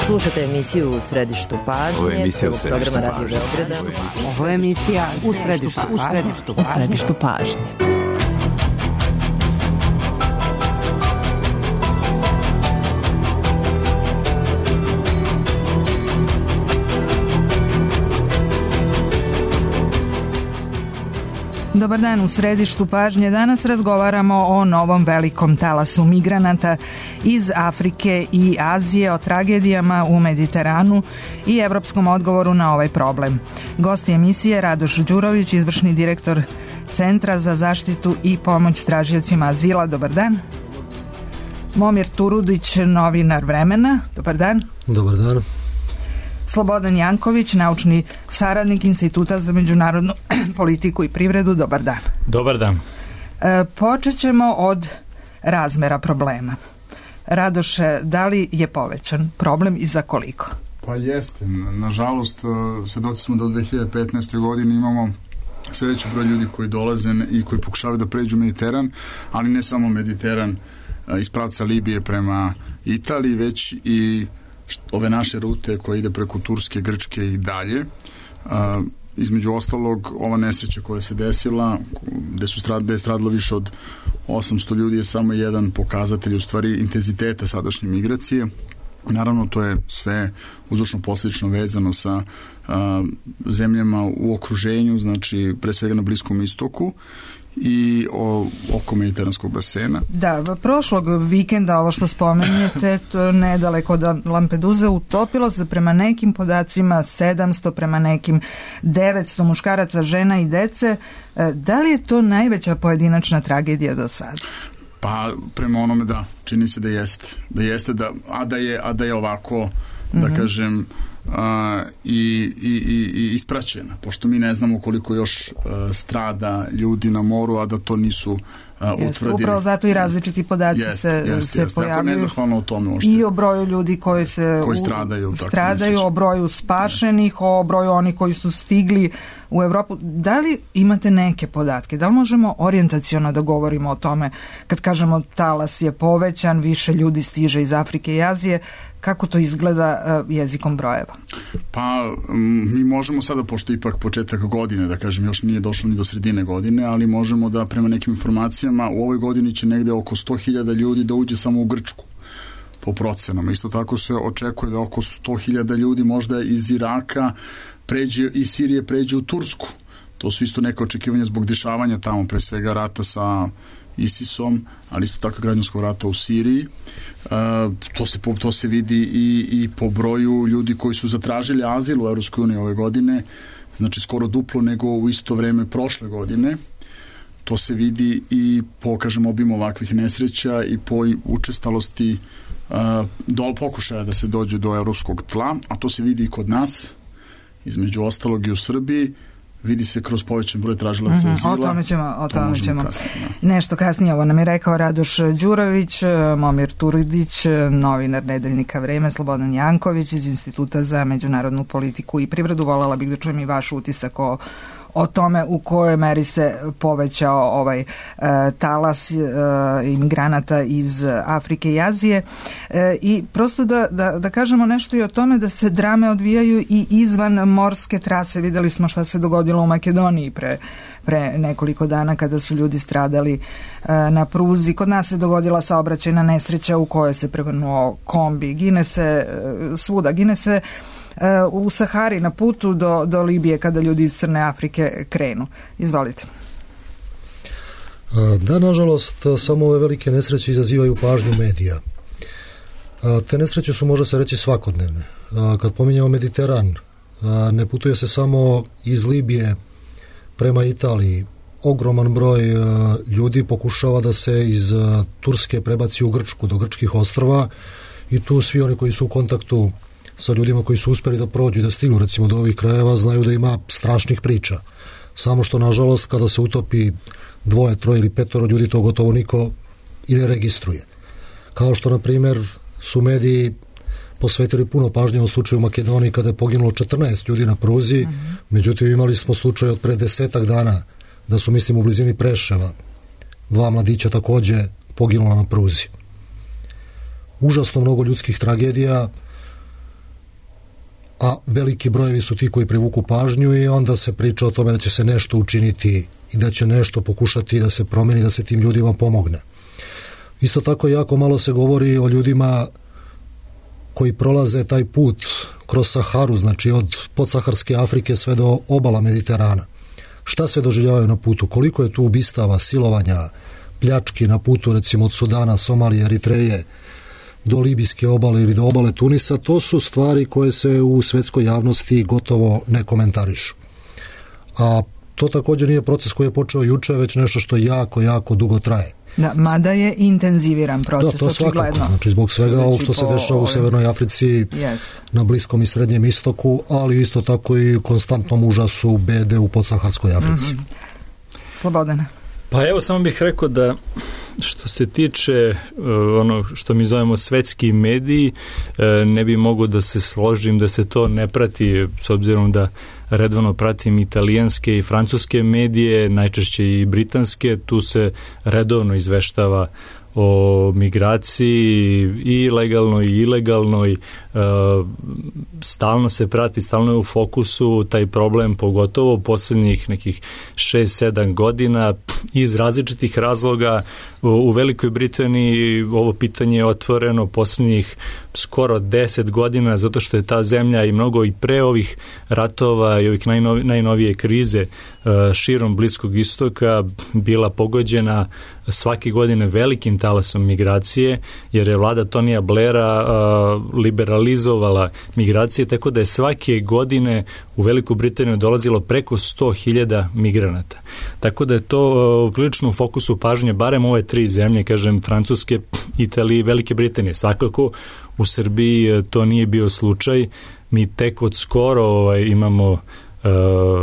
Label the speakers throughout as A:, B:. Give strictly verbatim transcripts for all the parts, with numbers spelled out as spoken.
A: Slušate emisiju U središtu pažnje.
B: Ovo je emisija U središtu
A: programa Radio Beograda.
C: Ovo je emisija U središtu, u središtu, u središtu pažnje.
D: Dobar dan, u središtu pažnje. Danas razgovaramo o novom velikom talasu migranata iz Afrike i Azije, o tragedijama u Mediteranu i evropskom odgovoru na ovaj problem. Gost emisije Radoš Đurović, izvršni direktor Centra za zaštitu i pomoć tražiocima azila. Dobar dan. Momir Turudić, novinar Vremena. Dobar dan.
E: Dobar dan.
D: Slobodan Janković, naučni saradnik Instituta za međunarodnu politiku i privredu. Dobar dan.
F: Dobar dan.
D: E, počet ćemo od razmera problema. Radoše, da li je povećan problem i za koliko?
G: Pa jeste. Nažalost, svedoci smo da od dve hiljade petnaeste. godine imamo sve veći broj ljudi koji dolaze i koji pokušavaju da pređu Mediteran, ali ne samo Mediteran iz pravca Libije prema Italiji, već i ove naše rute koje ide preko Turske, Grčke i dalje. A, između ostalog, ova nesreća koja se desila, gde, su strad, gde je stradilo više od osamsto ljudi, je samo jedan pokazatelj u stvari intenziteta sadašnje migracije. Naravno, to je sve uzročno posljedično vezano sa a, zemljama u okruženju, znači pre svega na Bliskom istoku i o, oko Mediteranskog basena.
D: Da, prošlog vikenda, ovo što spomenjete, to nedaleko od Lampeduze, utopilo se prema nekim podacima sedamsto, prema nekim devetsto muškaraca, žena i dece. Da li je to najveća pojedinačna tragedija do sada?
G: Pa, prema onome da, čini se da jeste. Da jeste, da, a, da je, a da je ovako, da mm-hmm. kažem, Uh, i, i, i ispraćena, pošto mi ne znamo koliko još uh, strada ljudi na moru, a da to nisu uh, utvrdili.
D: Upravo zato i različiti podaci jest, se, jest, se jest. pojavljuju. Dakle,
G: nezahvalno o tome ošte.
D: I o broju ljudi koji se
G: koji stradaju,
D: u, stradaju o broju spašenih, jest. O broju onih koji su stigli u Evropu. Da li imate neke podatke? Da li možemo orijentaciono da govorimo o tome kad kažemo talas je povećan, više ljudi stiže iz Afrike i Azije? Kako to izgleda uh, jezikom brojeva?
G: Pa, m, mi možemo sada, pošto ipak početak godine, da kažem, još nije došlo ni do sredine godine, ali možemo da prema nekim informacijama u ovoj godini će negde oko sto hiljada ljudi da uđe samo u Grčku, po procenama. Isto tako se očekuje da oko sto hiljada ljudi možda iz Iraka pređe, i Sirije pređe u Tursku. To su isto neke očekivanja zbog dešavanja tamo, pre svega rata sa ISISom, ali isto tako građanskog rata u Siriji. Uh, to, se, to se vidi i, i po broju ljudi koji su zatražili azil u Evropskoj uniji ove godine, znači skoro duplo nego u isto vreme prošle godine. To se vidi i po, kažem, obimu ovakvih nesreća i po učestalosti uh, dol pokušaja da se dođe do evropskog tla, a to se vidi i kod nas, između ostalog i u Srbiji. Vidi se kroz povećan broj tražilaca mm-hmm. azila.
D: O tome ćemo, o tome
G: to
D: ćemo.
G: Kasnije, da.
D: Nešto kasnije, ovo nam je rekao Radoš Đurović, Momir Turudić, novinar Nedeljnika Vreme, Slobodan Janković iz Instituta za međunarodnu politiku i privredu. Volela bih da čujem i vaš utisak o o tome u kojoj meri se povećao ovaj uh, talas uh, imigranata iz Afrike i Azije uh, i prosto da, da, da kažemo nešto i o tome da se drame odvijaju i izvan morske trase. Videli smo šta se dogodilo u Makedoniji pre, pre nekoliko dana kada su ljudi stradali uh, na pruzi. Kod nas se dogodila saobraćajna nesreća u kojoj se prevrnuo kombi. Gine se uh, svuda, gine se u Sahari na putu do, do Libije kada ljudi iz Crne Afrike krenu. Izvolite.
E: Da, nažalost, samo ove velike nesreće izazivaju pažnju medija. Te nesreće su, može se reći, svakodnevne. Kad pominjamo Mediteran, ne putuje se samo iz Libije prema Italiji. Ogroman broj ljudi pokušava da se iz Turske prebaci u Grčku, do grčkih ostrva, i tu svi oni koji su u kontaktu sa ljudima koji su uspeli da prođu i da stignu recimo do ovih krajeva znaju da ima strašnih priča. Samo što, nažalost, kada se utopi dvoje, troje ili petoro ljudi, to gotovo niko i ne registruje. Kao što, na primjer, su mediji posvetili puno pažnje u slučaju u Makedoniji kada je poginulo četrnaest ljudi na pruzi, mm-hmm. međutim imali smo slučaj od pre desetak dana da su, mislim, u blizini Preševa dva mladića takođe poginula na pruzi. Užasno mnogo ljudskih tragedija a veliki brojevi su ti koji privuku pažnju i onda se priča o tome da će se nešto učiniti i da će nešto pokušati da se promeni, da se tim ljudima pomogne. Isto tako jako malo se govori o ljudima koji prolaze taj put kroz Saharu, znači od podsaharske Afrike sve do obala Mediterana. Šta sve doživljavaju na putu? Koliko je tu ubistava, silovanja, pljački na putu, recimo od Sudana, Somalije, Eritreje, do libijske obale ili do obale Tunisa, to su stvari koje se u svetskoj javnosti gotovo ne komentarišu. A to također nije proces koji je počeo juče, već nešto što jako, jako dugo traje.
D: Da, mada je intenziviran proces,
E: da, to
D: očigledno.
E: Svakako, znači zbog svega ovog što se dešava u Severnoj Africi,
D: jest.
E: Na Bliskom i Srednjem istoku, ali isto tako i konstantnom užasu bede u podsaharskoj Africi.
D: Mm-hmm. Slobodana.
B: Pa evo, samo bih rekao da što se tiče uh, ono što mi zovemo svetski mediji, uh, ne bi mogo da se složim da se to ne prati, s obzirom da redovno pratim italijanske i francuske medije, najčešće i britanske, tu se redovno izveštava o migraciji i legalnoj i ilegalnoj, stalno se prati, stalno je u fokusu taj problem, pogotovo posljednjih nekih šest sedam godina iz različitih razloga. U Velikoj Britaniji ovo pitanje je otvoreno posljednjih skoro deset godina, zato što je ta zemlja i mnogo i pre ovih ratova i ovih najnovi, najnovije krize širom Bliskog istoka bila pogođena svake godine velikim talasom migracije, jer je vlada Tonija Blaira liberalizovala migracije, tako da je svake godine u Veliku Britaniju dolazilo preko sto hiljada migranata. Tako da je to prilično u fokusu pažnje, barem ove tri zemlje, kažem, Francuske, Italije i Velike Britanije. Svakako u Srbiji to nije bio slučaj. Mi tek od skoro ovaj, imamo uh,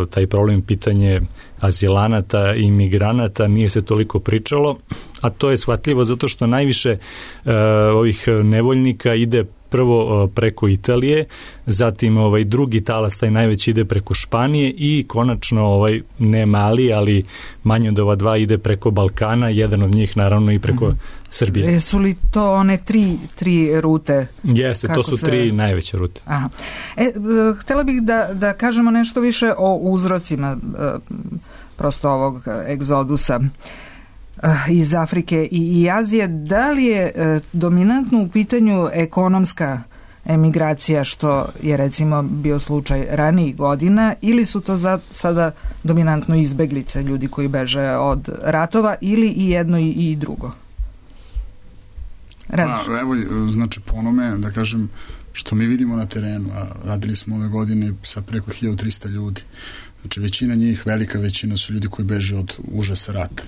B: taj problem, pitanje azilanata i migranata, nije se toliko pričalo, a to je shvatljivo zato što najviše uh, ovih nevoljnika ide prvo uh, preko Italije, zatim ovaj drugi talas, taj najveći, ide preko Španije i konačno ovaj ne mali, ali manje od ova dva, ide preko Balkana, jedan od njih naravno i preko mm. Srbije.
D: Jesu li to one tri, tri rute?
B: Jeste, to su se... tri najveće rute.
D: Aha. E, htjela bih da, da kažemo nešto više o uzrocima prosto ovog egzodusa iz Afrike i, i Azije. Da li je e, dominantno u pitanju ekonomska emigracija, što je recimo bio slučaj ranijih godina, ili su to za, sada dominantno izbeglice, ljudi koji beže od ratova, ili i jedno i, i drugo?
G: Pa, evo, znači po onome, da kažem, što mi vidimo na terenu, a radili smo ove godine sa preko hiljadu trista ljudi. Znači većina njih, velika većina su ljudi koji beže od užasa rata.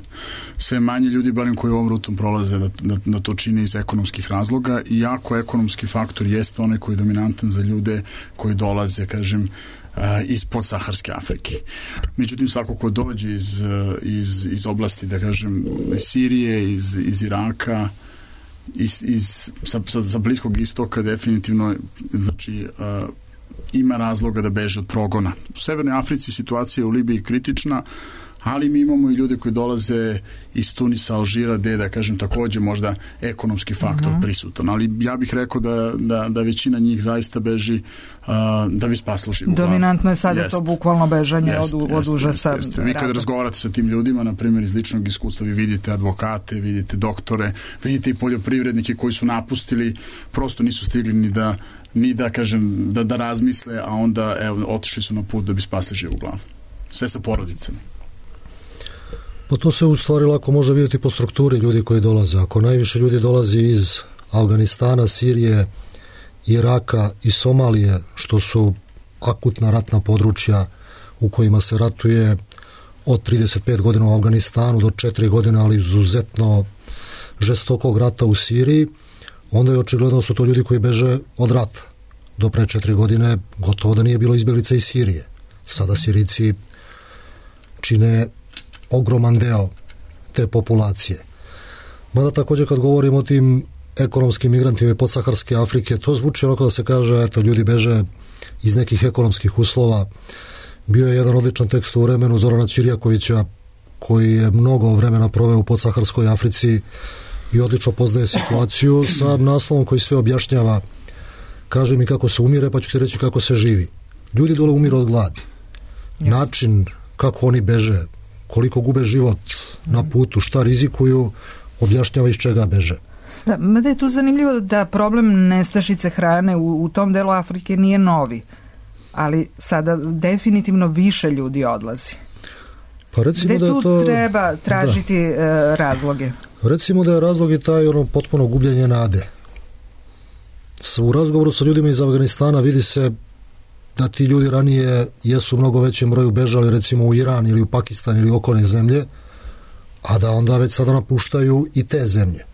G: Sve manje ljudi, barem koji ovom rutom prolaze, da, da, da to čine iz ekonomskih razloga, i jako ekonomski faktor jeste onaj koji je dominantan za ljude koji dolaze, kažem, iz podsaharske Afrike. Međutim, svako ko dođe iz, iz, iz oblasti, da kažem, iz Sirije, iz, iz Iraka, iz, iz, sa, sa, sa Bliskog istoka, definitivno, znači, uh, ima razloga da beže od progona. U Severnoj Africi situacija je u Libiji kritična, ali mi imamo i ljude koji dolaze iz Tunisa, Alžira, gde, da kažem, takođe možda ekonomski faktor uh-huh. prisutan. Ali ja bih rekao da, da, da većina njih zaista beži uh, da bi spaslo život.
D: Dominantno je sada jest. To bukvalno bežanje jest, od, od užasa.
G: Jest, jest. Vi kad razgovarate sa tim ljudima, na primjer iz ličnog iskustva, vi vidite advokate, vidite doktore, vidite i poljoprivrednike koji su napustili, prosto nisu stigli ni da ni da, kažem, da, da razmisle, a onda evo, otišli su na put da bi spasli živu glavu. Sve sa porodicama.
E: Pa to se u stvari lako može vidjeti po strukturi ljudi koji dolaze. Ako najviše ljudi dolazi iz Afganistana, Sirije, Iraka i Somalije, što su akutna ratna područja u kojima se ratuje od trideset pet godina u Afganistanu do četiri godine, ali izuzetno žestokog rata u Siriji, onda je očigledno su to ljudi koji beže od rata. Do pre četiri godine gotovo da nije bilo izbjeglica iz Sirije. Sada Sirijci čine ogroman deo te populacije. Mada također kad govorimo o tim ekonomskim migrantima i podsaharske Afrike, to zvuči onako da se kaže, eto, ljudi beže iz nekih ekonomskih uslova. Bio je jedan odličan tekst u vremenu Zorana Ćirjakovića, koji je mnogo vremena proveo u podsaharskoj Africi i odlično poznaje situaciju, sa naslovom koji sve objašnjava kaže mi kako se umire, pa ću ti reći kako se živi. Ljudi dole umiru od gladi. Yes. Način kako oni beže, koliko gube život mm. na putu, šta rizikuju, objašnjava iz čega beže.
D: Da, mada je tu zanimljivo da problem nestašice hrane u, u tom delu Afrike nije novi, ali sada definitivno više ljudi odlazi.
E: Pa recimo
D: Gde
E: da je
D: tu
E: to,
D: treba tražiti da. razloge?
E: Recimo da je razlog i taj ono potpuno gubljenje nade. U razgovoru sa ljudima iz Afganistana vidi se da ti ljudi ranije jesu u mnogo većem broju bežali recimo u Iran ili u Pakistan ili okolne zemlje, a da onda već sada napuštaju i te zemlje.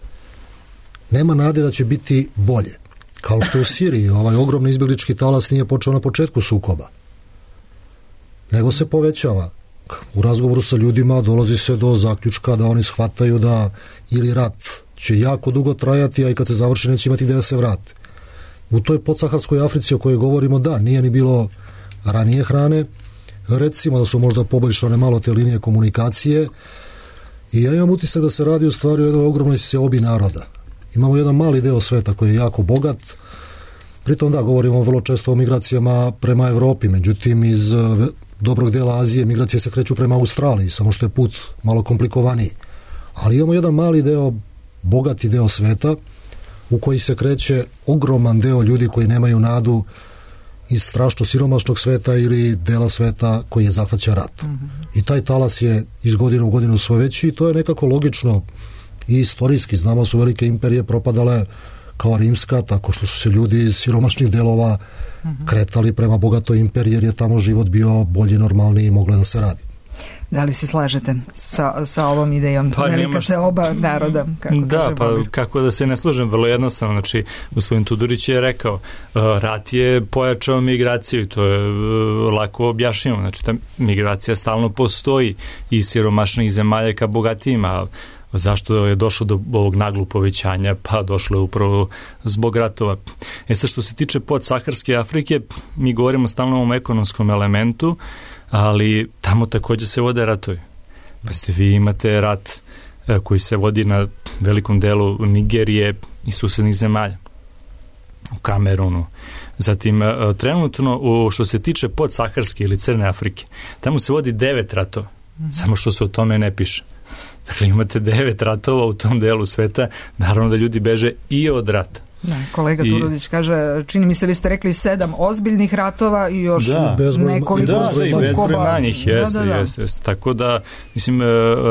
E: Nema nade da će biti bolje. Kao što u Siriji, ovaj ogromni izbjeglički talas nije počeo na početku sukoba, nego se povećava. U razgovoru sa ljudima dolazi se do zaključka da oni shvataju da ili rat će jako dugo trajati, a i kad se završi neće imati gde da se vrate. U toj podsaharskoj Africi o kojoj govorimo, da, nije ni bilo ranije hrane, recimo da su možda poboljšane malo te linije komunikacije i ja imam utisak da se radi u stvari o jednoj ogromnoj seobi naroda. Imamo jedan mali deo sveta koji je jako bogat, pritom da, govorimo vrlo često o migracijama prema Evropi, međutim iz dobrog dela Azije migracije se kreću prema Australiji, samo što je put malo komplikovaniji. Ali imamo jedan mali deo, bogati deo sveta u koji se kreće ogroman deo ljudi koji nemaju nadu iz strašno siromašnog sveta ili dela sveta koji je zahvaća ratom. Mm-hmm. I taj talas je iz godine u godinu sve veći i to je nekako logično i istorijski. Znamo su velike imperije propadale kao rimska, tako što su se ljudi iz siromašnih delova mm-hmm. kretali prema bogatoj imperiji jer je tamo život bio bolji, normalniji i moglo da se radi.
D: Da li se slažete sa, sa ovom idejom? Pa, velika se oba naroda. Kako
B: da, pa Bobir. Kako da se ne slažem, vrlo jednostavno. Znači, gospodin Tudorić je rekao, rat je pojačao migraciju i to je lako objašnjeno. Znači, ta migracija stalno postoji iz siromašnih zemalja ka bogatijima. Zašto je došlo do ovog naglog povećanja? Pa došlo je upravo zbog ratova. E sad, što se tiče podsaharske Afrike, mi govorimo stalno o ovom ekonomskom elementu, ali tamo također se vode ratovi. Pa ste vi imate rat koji se vodi na velikom delu Nigerije i susednih zemalja. U Kamerunu. Zatim, trenutno, u, što se tiče podsaharske ili Crne Afrike, tamo se vodi devet ratova. Mm-hmm. Samo što se o tome ne piše. Dakle, imate devet ratova u tom delu sveta, naravno da ljudi beže i od rata.
D: Da, kolega I, Turudić kaže, čini mi se vi ste rekli sedam ozbiljnih ratova i još
B: da,
D: nekoliko
B: da, da, i bezbroj manjih, jeste, da, da, da. jeste, jeste. Tako da, mislim,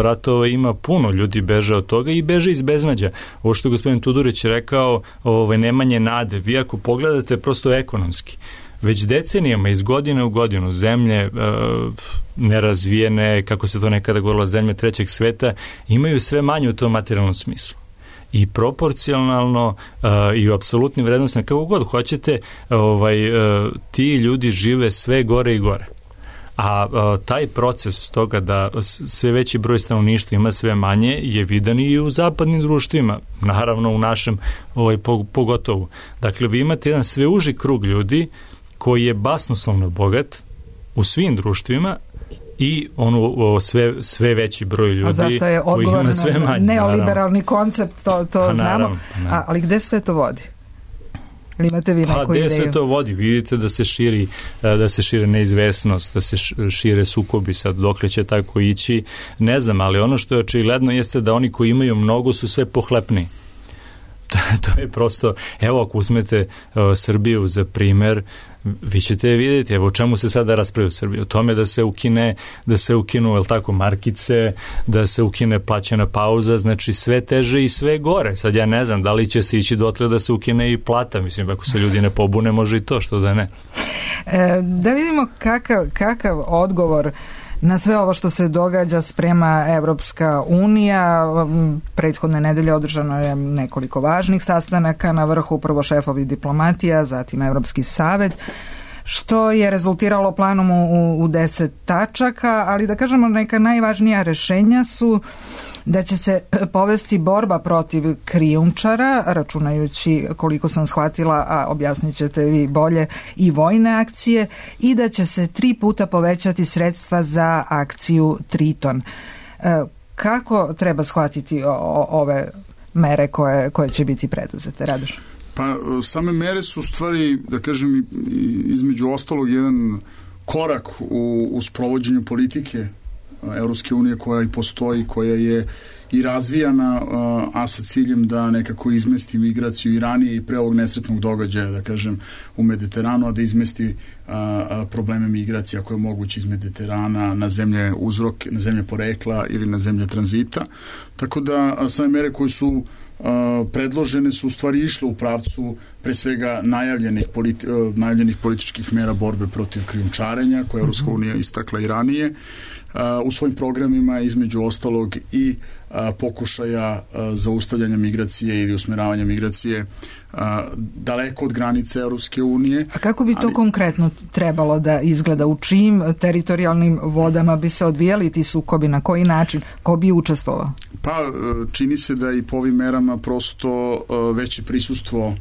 B: ratova ima puno, ljudi beže od toga i beže iz beznađa. Ovo što je gospodin Tudorić rekao, ovaj, nemanje nade, vi ako pogledate prosto ekonomski, već decenijama iz godine u godinu zemlje e, nerazvijene, kako se to nekada govorilo, zemlje trećeg sveta, imaju sve manje u tom materijalnom smislu. I proporcionalno uh, i u apsolutnim vrednostima, kako god hoćete, ovaj, uh, ti ljudi žive sve gore i gore. A uh, taj proces toga da sve veći broj stanovništva ima sve manje je vidan i u zapadnim društvima, naravno u našem ovaj, pogotovo. Dakle, vi imate jedan sve uži krug ljudi koji je basnoslovno bogat u svim društvima i ono sve, sve veći broj ljudi
D: zašto je
B: koji ima sve manje.
D: Neoliberalni naravno. Koncept, to, to pa, znamo. Naravno, naravno. A, ali gde sve to vodi? Ili imate vi neku
B: pa,
D: ideju?
B: Pa gde sve to vodi? Vidite da se širi, da se šire neizvesnost, da se šire sukobi, sad dokle će tako ići, ne znam, ali ono što je očigledno jeste da oni koji imaju mnogo su sve pohlepni. To je prosto, evo ako uzmete uh, Srbiju za primer, vi ćete vidjeti, evo o čemu se sada raspravlja u Srbiji, o tome da se ukine, da se ukinu, jel tako, markice, da se ukine plaćena pauza, znači sve teže i sve gore. Sad ja ne znam da li će se ići dotle da se ukine i plata, mislim, ako se ljudi ne pobune, može i to, što da ne.
D: E, da vidimo kakav, kakav odgovor na sve ovo što se događa sprema Evropska unija. Prethodne nedelje održano je nekoliko važnih sastanaka na vrhu, prvo šefovi diplomatija, zatim Evropski savet, što je rezultiralo planom u, u deset tačaka, ali da kažemo neka najvažnija rešenja su da će se povesti borba protiv krijumčara, računajući, koliko sam shvatila, a objasnit ćete vi bolje, i vojne akcije, i da će se tri puta povećati sredstva za akciju Triton. E, kako treba shvatiti o, o, ove mere koje, koje će biti preduzete, Radoš?
G: Pa same mere su u stvari, da kažem, između ostalog jedan korak u, u sprovođenju politike Evropske unije koja i postoji, koja je i razvijana, a sa ciljem da nekako izmesti migraciju i ranije i pre ovog nesretnog događaja, da kažem, u Mediteranu, a da izmesti probleme migracija koje je moguće iz Mediterana na zemlje uzrok, na zemlje porekla ili na zemlje tranzita. Tako da same mere koje su predložene su u stvari išle u pravcu pre svega najavljenih, politi, najavljenih političkih mera borbe protiv krijumčarenja koje je Evropska unija istakla i ranije u svojim programima, između ostalog i pokušaja zaustavljanja migracije ili usmeravanja migracije daleko od granice Evropske unije.
D: A kako bi to ali... konkretno trebalo da izgleda? U čijim teritorijalnim vodama bi se odvijali ti sukobi? Na koji način? Ko bi učestvovao?
G: Pa čini se da i po ovim merama prosto veće prisustvo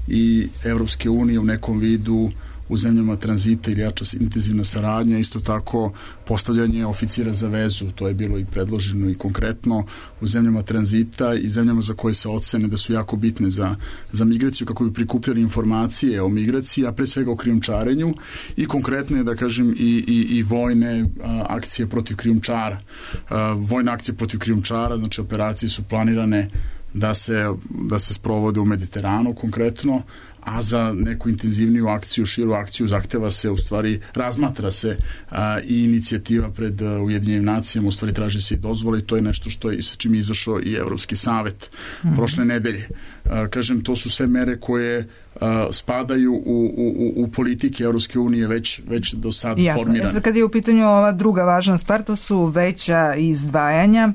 G: i Evropske unije u nekom vidu u zemljama tranzita ili jača intenzivna saradnja, isto tako postavljanje oficira za vezu, to je bilo i predloženo i konkretno u zemljama tranzita i zemljama za koje se ocene da su jako bitne za, za migraciju, kako bi prikupljali informacije o migraciji, a pre svega o krijumčarenju i konkretne, da kažem, i, i, i vojne a, akcije protiv krijumčara. A, vojne akcije protiv krijumčara, znači operacije su planirane da se, da se sprovode u Mediteranu konkretno, a za neku intenzivniju akciju, širu akciju zahteva se, u stvari razmatra se a, i inicijativa pred a, Ujedinjenim nacijama, u stvari traži se i dozvole i to je nešto što je, s čim je izašao i Evropski savet mm-hmm. prošle nedelje. A, kažem, to su sve mere koje a, spadaju u, u, u politike Evropske unije već, već do sad
D: Jasno.
G: formirane.
D: Jasno, kad je u pitanju ova druga važna stvar, to su veća izdvajanja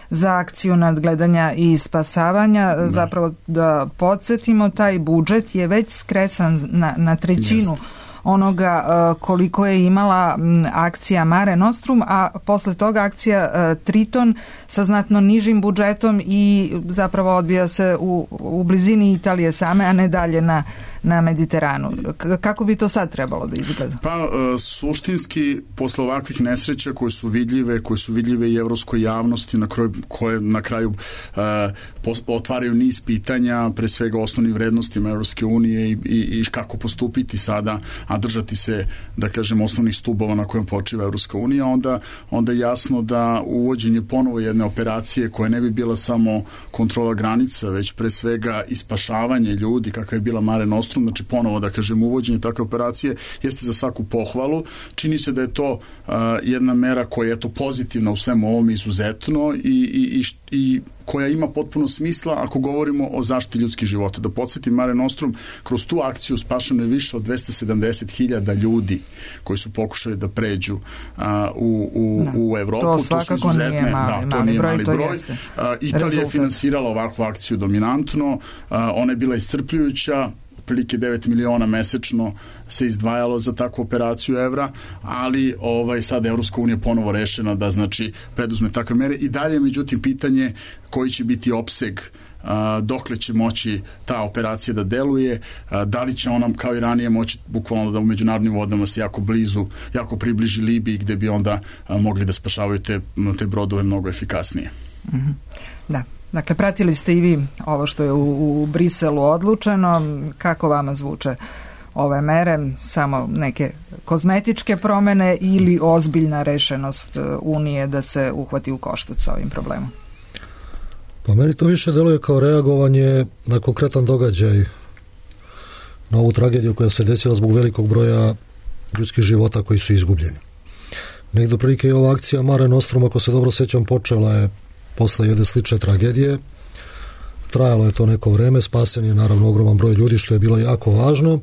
D: za akciju nadgledanja i spasavanja. Da. Zapravo da podsjetimo, taj budžet je već skresan na, na trećinu Jest. onoga uh, koliko je imala m, akcija Mare Nostrum, a posle toga akcija uh, Triton sa znatno nižim budžetom i zapravo odvija se u, u blizini Italije same, a ne dalje na na Mediteranu. K- kako bi to sad trebalo da izgleda?
G: Pa, uh, suštinski, posle ovakvih nesreća koje su vidljive, koje su vidljive i evropskoj javnosti, na kraju, koje na kraju uh, pos- otvaraju niz pitanja, pre svega osnovnim vrednostima Evropske unije i, i, i kako postupiti sada, a držati se, da kažem, osnovnih stubova na kojem počiva Evropska unija, onda, onda je jasno da uvođenje ponovo jedne operacije koja ne bi bila samo kontrola granica, već pre svega i spašavanje ljudi, kakva je bila Mare Nostrum, znači ponovo, da kažem, uvođenje takve operacije jeste za svaku pohvalu. Čini se da je to uh, jedna mera koja je to pozitivna u svemu ovom izuzetno i, i, i, i koja ima potpuno smisla ako govorimo o zaštiti ljudskih života. Da podsjetim, Mare Nostrum, kroz tu akciju spašeno je više od dvesta sedamdeset hiljada ljudi koji su pokušali da pređu a, u, u,
D: da.
G: u Evropu.
D: To svakako to nije mali, da, to nije mali broj. broj.
G: A, Italija je finansirala ovakvu akciju dominantno, a, ona je bila iscrpljujuća, prilike devet miliona mesečno se izdvajalo za takvu operaciju evra, ali ovaj sad Evropska unija ponovo rešena da znači preduzme takve mere i dalje, međutim, pitanje koji će biti opseg, a, dokle će moći ta operacija da deluje, a, da li će ona kao i ranije moći bukvalno da u međunarodnim vodama se jako blizu, jako približi Libiji gde bi onda a, mogli da spašavaju te, te brodove mnogo efikasnije.
D: Mm-hmm. Da. Dakle, pratili ste i vi ovo što je u, u Briselu odlučeno. Kako vama zvuče ove mere? Samo neke kozmetičke promene ili ozbiljna rešenost Unije da se uhvati u koštac sa ovim problemom?
E: Pa meni to više deluje kao reagovanje na konkretan događaj, na ovu tragediju koja se desila zbog velikog broja ljudskih života koji su izgubljeni. Negdje prilike je ova akcija Mare Nostrum, ako se dobro sećam, počela je posle jedne slične tragedije. Trajalo je to neko vreme, spasen je naravno ogroman broj ljudi, što je bilo jako važno,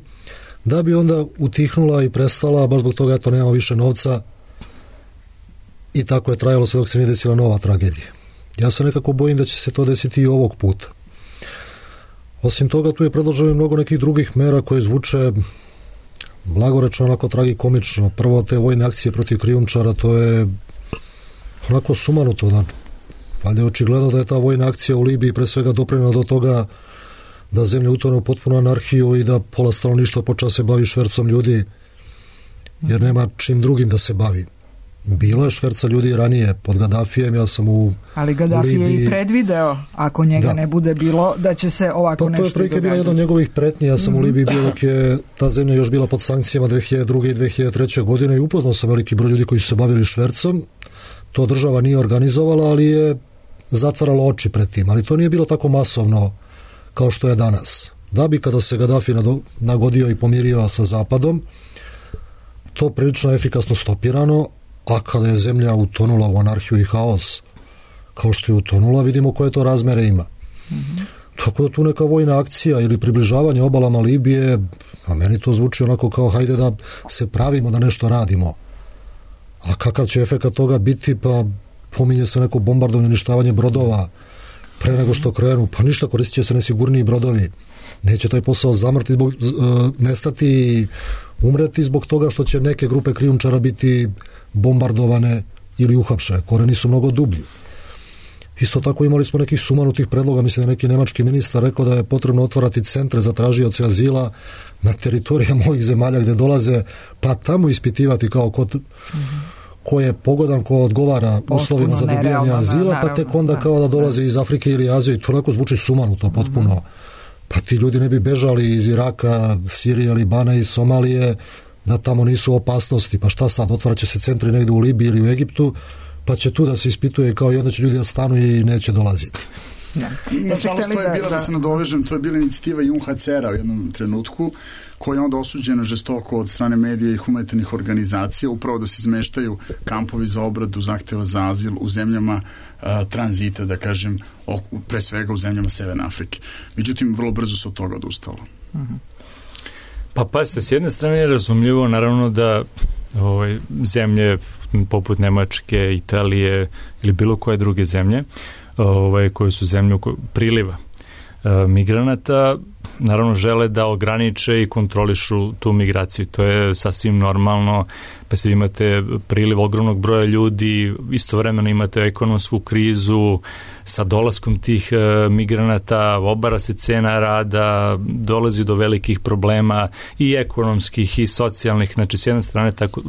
E: da bi onda utihnula i prestala, baš zbog toga to nema više novca i tako je trajalo sve dok se nije desila nova tragedija. Ja se nekako bojim da će se to desiti i ovog puta. Osim toga, tu je predloženo mnogo nekih drugih mera koje zvuče blagorečno, onako tragikomično. Prvo, te vojne akcije protiv krijumčara, to je onako sumanuto, znači valjda je očigledno da je ta vojna akcija u Libiji pre svega doprinela do toga da zemlja utone u potpunu anarhiju i da pola stanovništva počela se bavi švercom ljudi, jer nema čim drugim da se bavi. Bilo je šverca ljudi ranije pod Gaddafijem, ja sam u
D: Ali Gaddafi Libiji... je i predvideo, ako njega da. ne bude bilo, da će se ovako pa, nešto događati. To je prilike bila jedna od njegovih pretnji, ja sam mm-hmm. u Libiji bio dok je ta zemlja još bila pod sankcijama dve hiljade druge i dve hiljade treće godine i upoznao sam veliki broj ljudi koji su se bavili švercom. To država nije organizovala, ali je zatvaralo oči pred tim, ali to nije bilo tako masovno kao što je danas. Da bi kada se Gaddafi nagodio i pomirio sa Zapadom, to prilično efikasno stopirano, a kada je zemlja utonula u anarhiju i haos, kao što je utonula, vidimo koje to razmere ima. Mm-hmm. Tako da tu neka vojna akcija ili približavanje obalama Libije, a meni to zvuči onako kao hajde da se pravimo da nešto radimo. A kakav će efekat toga biti, pa pominje se neko bombardovanje, uništavanje brodova pre nego što krenu, pa ništa, koristit će se nesigurniji brodovi. Neće taj posao zamrti, zbog, nestati i umreti zbog toga što će neke grupe krijumčara biti bombardovane ili uhapšene. Koreni su mnogo dublji. Isto tako imali smo nekih sumanutih predloga, mislim da neki nemački ministar rekao da je potrebno otvarati centre za tražioce azila na teritorijama ovih zemalja gde dolaze, pa tamo ispitivati kao ko, ko je pogodan, ko odgovara uslovima za dobijanje azila, pa tek onda kao da dolaze iz Afrike ili Azije, to neko zvuči sumanuto potpuno. Pa ti ljudi ne bi bežali iz Iraka, Sirije, Libana i Somalije, da tamo nisu opasnosti. Pa šta sad, otvarat će se centri negde u Libiji ili u Egiptu, pa će tu da se ispituje kao i onda će ljudi da stanu i neće dolaziti.
G: Ja. Nažalost, to je bila, da se nadovežem, to je bila inicijativa U N H C R-a u jednom trenutku, koja je onda osuđena žestoko od strane medija i humanitarnih organizacija, upravo da se izmeštaju kampovi za obradu zahteva za azil u zemljama a, tranzita, da kažem, o, pre svega u zemljama Severne Afrike. Međutim, vrlo brzo se od toga odustalo.
B: Uh-huh. Pa pazite, s jedne strane je razumljivo, naravno da ovaj, zemlje poput Nemačke, Italije ili bilo koje druge zemlje, ovaj, koje su zemlje priliva e, migranata, naravno žele da ograniče i kontrolišu tu migraciju. To je sasvim normalno, pa se imate priliv ogromnog broja ljudi, istovremeno imate ekonomsku krizu, sa dolaskom tih e, migranata obara se cena rada, dolazi do velikih problema i ekonomskih i socijalnih, znači s jedne strane tako, e,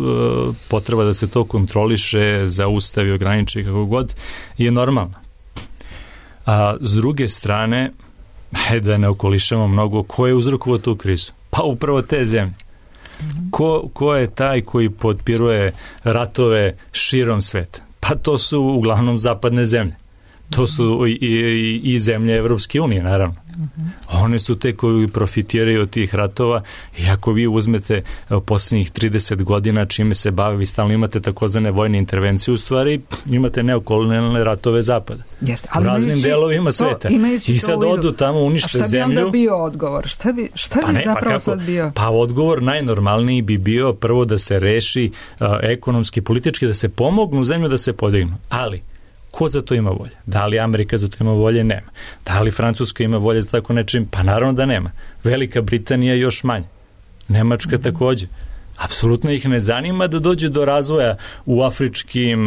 B: potreba da se to kontroliše, zaustavi, ograniči kako god je normalno. A s druge strane, hajde da ne okolišamo mnogo, ko je uzrokovao tu krizu? Pa upravo te zemlje. Ko, ko je taj koji potpiruje ratove širom sveta? Pa to su uglavnom zapadne zemlje. To su i, i, i zemlje Evropske unije, naravno. One su te koji profitiraju od tih ratova i ako vi uzmete posljednjih trideset godina čime se bave, vi stalno imate takozvane vojne intervencije, u stvari imate neokolonijalne ratove zapada.
D: Jeste, ali
B: u raznim delovima sveta. I sad odu tamo, unište zemlju. A šta bi onda
D: bio odgovor? Šta bi, šta bi pa ne, zapravo pa sad bio?
B: Pa odgovor najnormalniji bi bio prvo da se reši uh, ekonomski, politički, da se pomognu zemlju da se podignu. Ali ko za to ima volje? Da li Amerika za to ima volje? Nema. Da li Francuska ima volje za tako nečim? Pa naravno da nema. Velika Britanija još manje. Nemačka mm-hmm. takođe. Apsolutno ih ne zanima da dođe do razvoja u afričkim,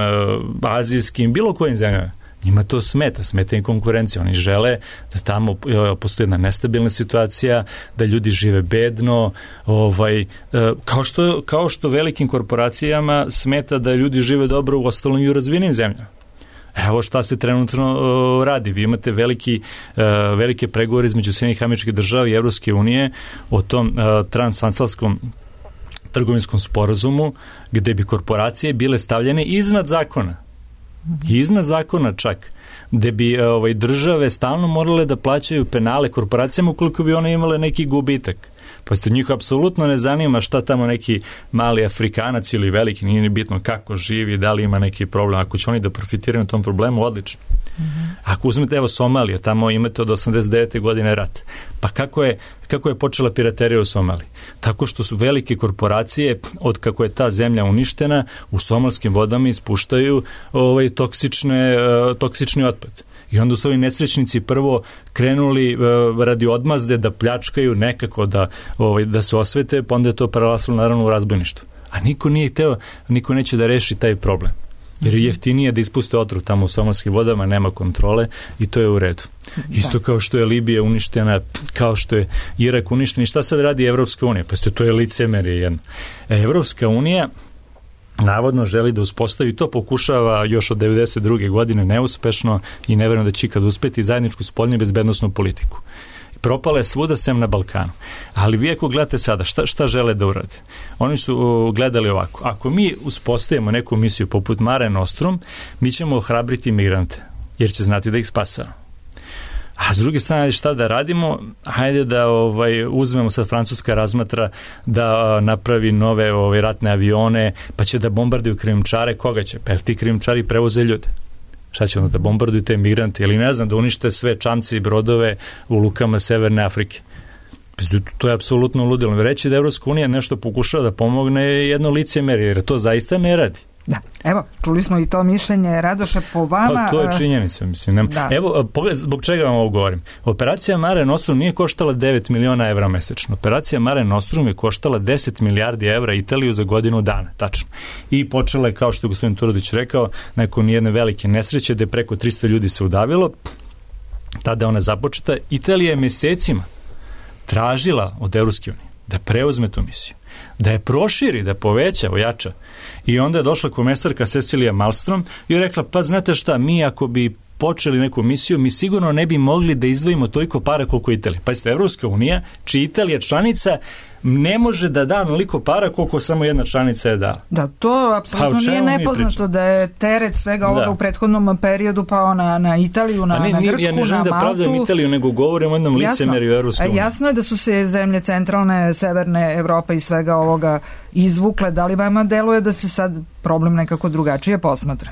B: azijskim, bilo kojim zemljama. Njima to smeta, smeta im konkurencija. Oni žele da tamo postoji jedna nestabilna situacija, da ljudi žive bedno, ovaj, kao, što, kao što velikim korporacijama smeta da ljudi žive dobro u ostalim i u razvijenim zemljama. Evo šta se trenutno uh, radi. Vi imate veliki, uh, velike pregovore između Sjedinjenih Američkih Država i Evropske unije o tom uh, transatlantskom trgovinskom sporazumu gde bi korporacije bile stavljene iznad zakona. Iznad zakona čak. Gde bi uh, ovaj, države stalno morale da plaćaju penale korporacijama ukoliko bi one imale neki gubitak. Pa ste njih apsolutno ne zanima šta tamo neki mali Afrikanac ili veliki, nije ni bitno kako živi, da li ima neki problem. Ako će oni da profitiraju na tom problemu, odlično. Mm-hmm. Ako uzmete, evo Somalija, tamo imate od osamdeset devete godine rat. Pa kako je, kako je počela piraterija u Somaliji? Tako što su velike korporacije, od kako je ta zemlja uništena, u somalskim vodama ispuštaju ovaj, toksične, toksični otpad. I onda su ovi nesrećnici prvo krenuli uh, radi odmazde da pljačkaju nekako da, ovaj, da se osvete, pa onda je to prelasilo naravno u razbojništvo. A niko nije hteo, niko neće da reši taj problem. Jer je jeftinije da ispuste otrov tamo u somalskim vodama, nema kontrole i to je u redu. Isto kao što je Libija uništena, kao što je Irak uništen. I šta sad radi Evropska unija? Pa to je licemerje jedno. Evropska unija navodno želi da uspostavi, to pokušava još od devedeset druge godine neuspešno i ne verujem da će ikad uspeti, zajedničku spoljnu i bezbednosnu politiku. Propala je svuda sem na Balkanu. Ali vi ako gledate sada, šta, šta žele da urade? Oni su uh, gledali ovako. Ako mi uspostavimo neku misiju poput Mare Nostrum, mi ćemo ohrabriti migrante, jer će znati da ih spasava. A s druge strane, šta da radimo? Hajde da ovaj, uzmemo, sad Francuska razmatra da napravi nove ovaj, ratne avione, pa će da bombarduju krijumčare. Koga će? Pa ti krijumčari prevoze ljude. Šta će onda da bombarduju te migrante? Ili ne znam, da unište sve čamce i brodove u lukama Severne Afrike. To je apsolutno ludilo. Reći da Evropska unija nešto pokušava da pomogne je jedno licemerje, jer to zaista ne radi.
D: Da, evo, čuli smo i to mišljenje. Radoše, po vama...
B: Pa to je činjenica, mislim. Da. Evo, pogled, zbog čega vam ovo govorim? Operacija Mare Nostrum nije koštala devet miliona evra mesečno. Operacija Mare Nostrum je koštala deset milijardi evra Italiju za godinu dana, tačno. I počela je, kao što je gospodin Turudić rekao, nakon jedne velike nesreće, gde preko tristo ljudi se udavilo, tada je ona započeta. Italija je mesecima tražila od Evropske unije da preuzme tu misiju, da je proširi, da poveća, ojača. I onda je došla komesarka Cecilija Malmström i je rekla, pa znate šta, mi ako bi počeli neku misiju, mi sigurno ne bi mogli da izdvojimo toliko para koliko Italija. Pazite, Evropska unija, čiji Italija članica, ne može da da onoliko para koliko samo jedna članica je dala.
D: Da, to apsolutno pa, nije nepoznato da je teret svega ovoga da. U prethodnom periodu pao na, na Italiju, na,
B: ne,
D: na Grčku, na Maltu.
B: Ja ne želim da pravdam Italiju, nego govorim o jednom licemerju Evropske unije.
D: Jasno je da su se zemlje centralne, severne Evrope i svega ovoga izvukle. Da li vama deluje da se sad problem nekako drugačije posmatra?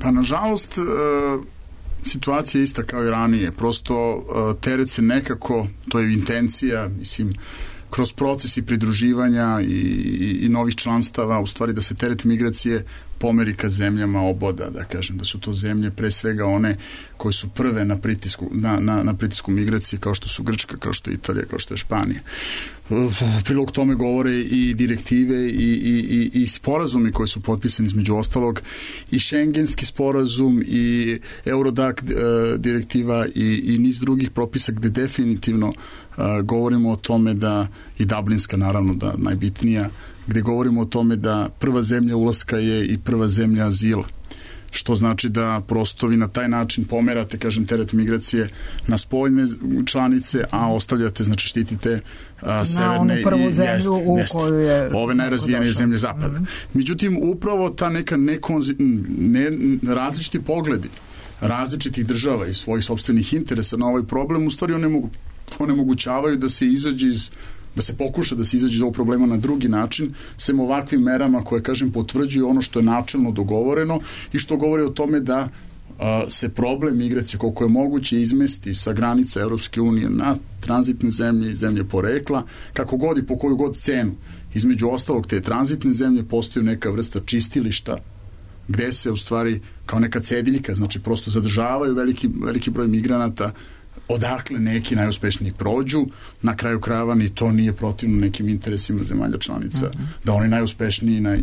G: Pa nažalost, situacija je ista kao i ranije. Prosto teret se nekako, to je intencija, mislim, kroz procesi pridruživanja i, i, i novih članstava, u stvari da se teret migracije pomeri ka zemljama oboda, da kažem, da su to zemlje pre svega one koje su prve na pritisku, na, na, na pritisku migracije, kao što su Grčka, kao što je Italija, kao što je Španija. Prilog tome govore i direktive i, i, i, i sporazumi koji su potpisani između ostalog, i šengenski sporazum i Eurodac direktiva i, i niz drugih propisa gde definitivno uh, govorimo o tome da, i Dublinska naravno da najbitnija, gde govorimo o tome da prva zemlja ulaska je i prva zemlja azila. Što znači da prosto vi na taj način pomerate, kažem, teret migracije na spoljne članice, a ostavljate, znači štitite a, severne
D: i jeste, u jeste, koju je
G: ove najrazvijenije zemlje zapada. Mm-hmm. Međutim, upravo ta neka nekonzi, ne, različiti pogledi različitih država i svojih sopstvenih interesa na ovaj problem u stvari onemogu, onemogućavaju da se izađe iz da se pokuša da se izađe iz ovog problema na drugi način, sem ovakvim merama koje, kažem, potvrđuju ono što je načelno dogovoreno i što govori o tome da a, se problem migracije koliko je moguće izmesti sa granica Evropske unije na tranzitne zemlje i zemlje porekla, kako god i po koju god cenu. Između ostalog, te tranzitne zemlje postaju neka vrsta čistilišta gde se u stvari kao neka cediljka, znači prosto zadržavaju veliki, veliki broj migranata, odakle neki najuspešniji prođu, na kraju krajeva ni to nije protivno nekim interesima zemalja članica, mm-hmm. da oni najuspešniji, naj,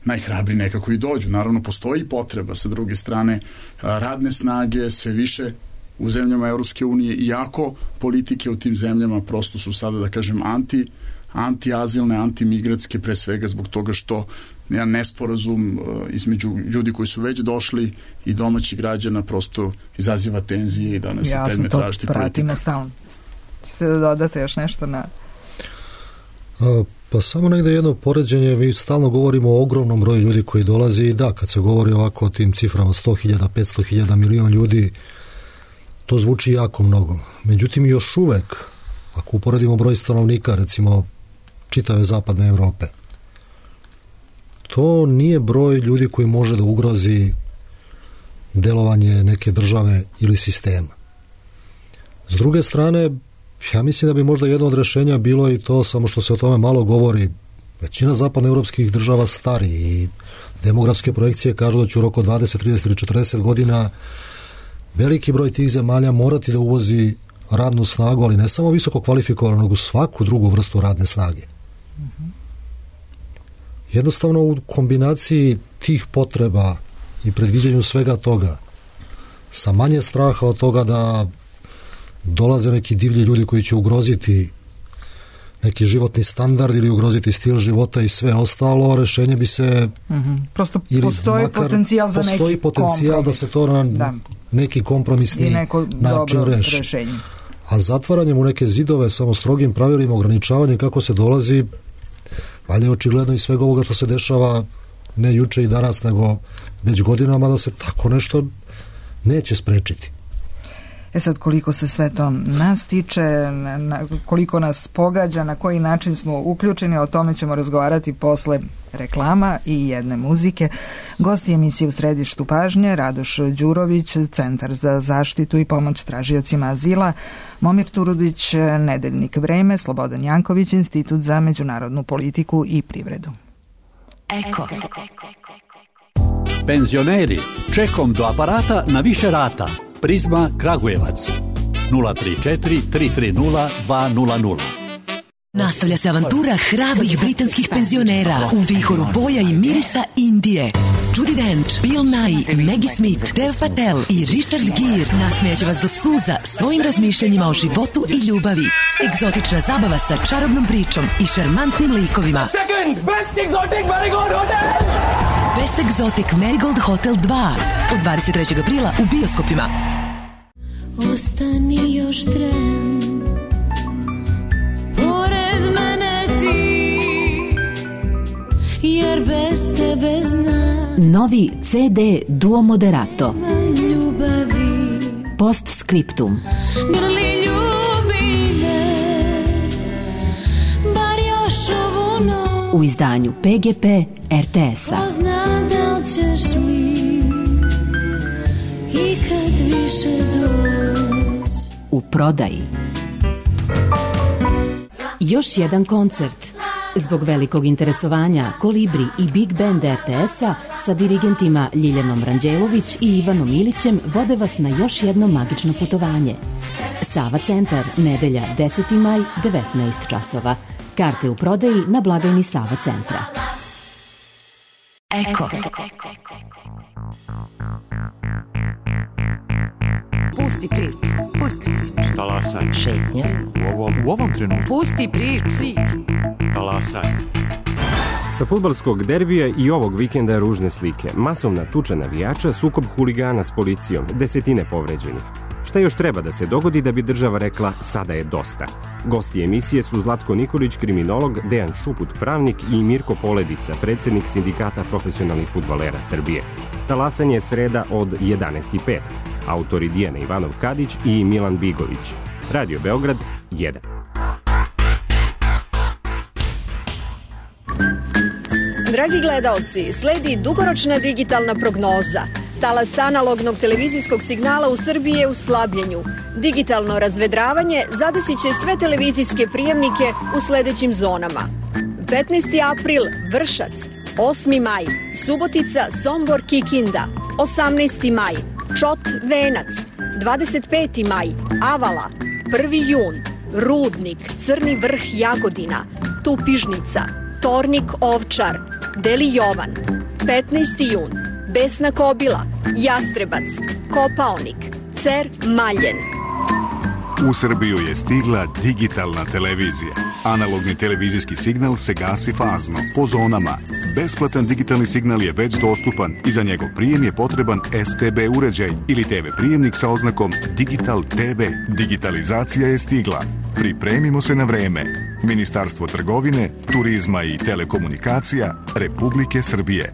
G: najhrabri nekako i dođu. Naravno, postoji potreba sa druge strane radne snage, sve više u zemljama Evropske unije, iako politike u tim zemljama prosto su sada, da kažem, anti, antiazilne, antimigratske, pre svega zbog toga što jedan nesporazum između ljudi koji su već došli i domaćih građana prosto izaziva tenzije i danas je predmet različitih politika.
D: Pratimo stalno. Ćete da dodate još nešto na...
E: A, pa samo negde jedno poređenje, mi stalno govorimo o ogromnom broju ljudi koji dolazi i da, kad se govori ovako o tim ciframa sto hiljada, petsto hiljada, milion ljudi, to zvuči jako mnogo. Međutim, još uvek, ako uporedimo broj stanovnika, recimo čitave zapadne Evrope, to nije broj ljudi koji može da ugrozi delovanje neke države ili sistema. S druge strane, ja mislim da bi možda jedno od rešenja bilo i to, samo što se o tome malo govori, većina zapadnoevropskih država stari i demografske projekcije kažu da će u roku dvadeset, trideset ili četrdeset godina veliki broj tih zemalja morati da uvozi radnu snagu, ali ne samo visoko kvalifikovanu, nego svaku drugu vrstu radne snage. Jednostavno u kombinaciji tih potreba i predviđenju svega toga, sa manje straha od toga da dolaze neki divlji ljudi koji će ugroziti neki životni standard ili ugroziti stil života i sve ostalo, rešenje bi se...
D: Mm-hmm. Prosto postoji potencijal za neki
E: postoji potencijal kompromis. Da se to na da. neki kompromisni način reši. Rešenje. A zatvaranjem u neke zidove, samo strogim pravilima, ograničavanje kako se dolazi, valjda je očigledno i svega ovoga što se dešava ne juče i danas, nego već godinama, da se tako nešto neće sprečiti.
D: E sad, koliko se sve to nas tiče, na, koliko nas pogađa, na koji način smo uključeni, o tome ćemo razgovarati posle reklama i jedne muzike. Gosti emisije U središtu pažnje, Radoš Đurović, Centar za zaštitu i pomoć tražiocima azila, Momir Turudić, Nedeljnik Vreme, Slobodan Janković, Institut za međunarodnu politiku i privredu.
F: Eko. Penzioneri, čekom do aparata na više rata. Prizma Kragujevac nula tri četiri tri tri nula dva nula nula.
H: Nastavlja se avantura hrabrih britanskih penzionera u vihoru boja i mirisa Indije. Judi Dench, Bill Nighy, Maggie Smith, Dev Patel i Richard Gere nasmijaće vas do suza svojim razmišljanjima o životu i ljubavi. Egzotična zabava sa čarobnom pričom i šarmantnim likovima.
I: Second Best Exotic Marigold Hotel!
H: Best Exotic Marigold Hotel dva od dvadeset trećeg aprila u bioskopima.
J: Ostani još tren, pored mene ti, jer bez tebe znam.
K: Novi ce de Duo Moderato.
J: Ljubavi.
K: Postscriptum.
J: Grli ljubi me, bar još ovu noć.
K: U izdanju pe ge pe er te es-a.
J: Pozna da li ćeš mi ikad više doći.
K: U prodaji. Još jedan koncert. Zbog velikog interesovanja Kolibri i Big Band er te es-a sa dirigentima Ljiljanom Ranđelović i Ivanom Ilićem vode vas na još jedno magično putovanje. Sava centar, nedelja deseti maj, devetnaest časova. Karte u prodaji na blagajni Sava centra.
H: Eko.
C: Pusti priču, pusti priču.
L: Talasaj.
C: Šetnja.
L: U ovom, u ovom trenutku.
C: Pusti priču.
L: Talasaj.
M: Sa fudbalskog derbija i ovog vikenda je ružne slike. Masovna tuča navijača, sukob huligana s policijom, desetine povređenih. Šta još treba da se dogodi da bi država rekla sada je dosta? Gosti emisije su Zlatko Nikolić, kriminolog, Dejan Šuput, pravnik i Mirko Poledica, predsjednik Sindikata profesionalnih fudbalera Srbije. Talasanje je sreda od jedanaest i pet. Autori Dijana Ivanov Kadić i Milan Bigović. Radio Beograd jedan.
N: Dragi gledaoci, sledi dugoročna digitalna prognoza. Talas analognog televizijskog signala u Srbiji je u slabljenju. Digitalno razvedravanje zadesit će sve televizijske prijemnike u sledećim zonama. petnaesti april Vršac, osmi maj Subotica, Sombor, Kikinda, osamnaesti maj Čot, Venac, dvadeset peti maj Avala, prvi jun Rudnik, Crni Vrh, Jagodina, Tupižnica, Tornik, Ovčar, Deli Jovan, petnaesti jun Besna Kobila, Jastrebac, Kopaonik, Cer, Maljen.
O: U Srbiju je stigla digitalna televizija. Analogni televizijski signal se gasi fazno, po zonama. Besplatan digitalni signal je već dostupan i za njegov prijem je potreban es te be uređaj ili te ve prijemnik sa oznakom Digital te ve. Digitalizacija je stigla. Pripremimo se na vreme. Ministarstvo trgovine, turizma i telekomunikacija Republike Srbije.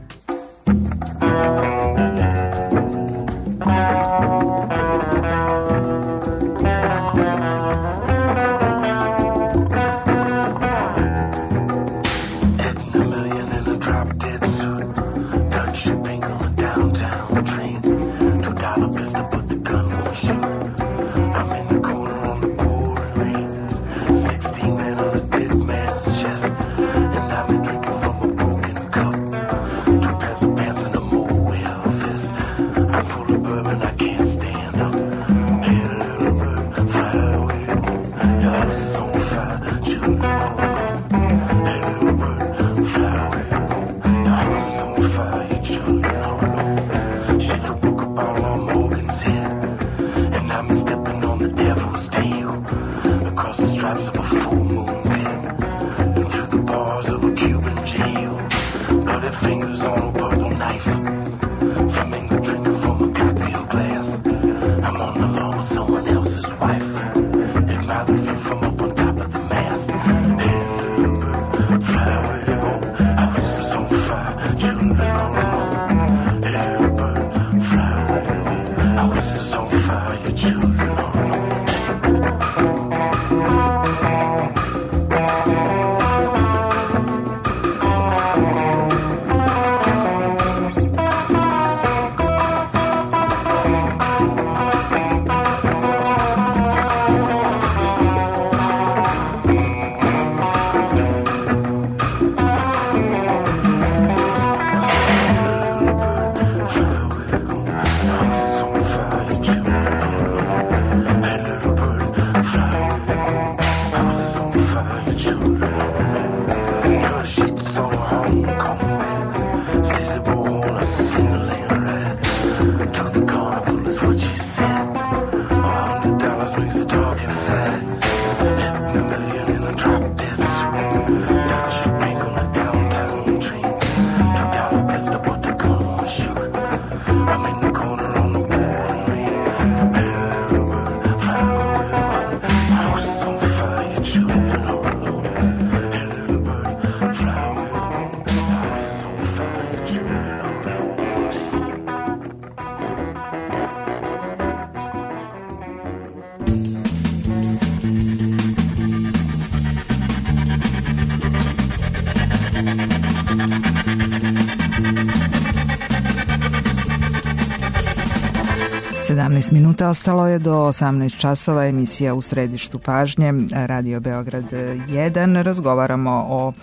D: sedamnaest minuta ostalo je do osamnaest časova, emisija U središtu pažnje, Radio Beograd jedan. Razgovaramo o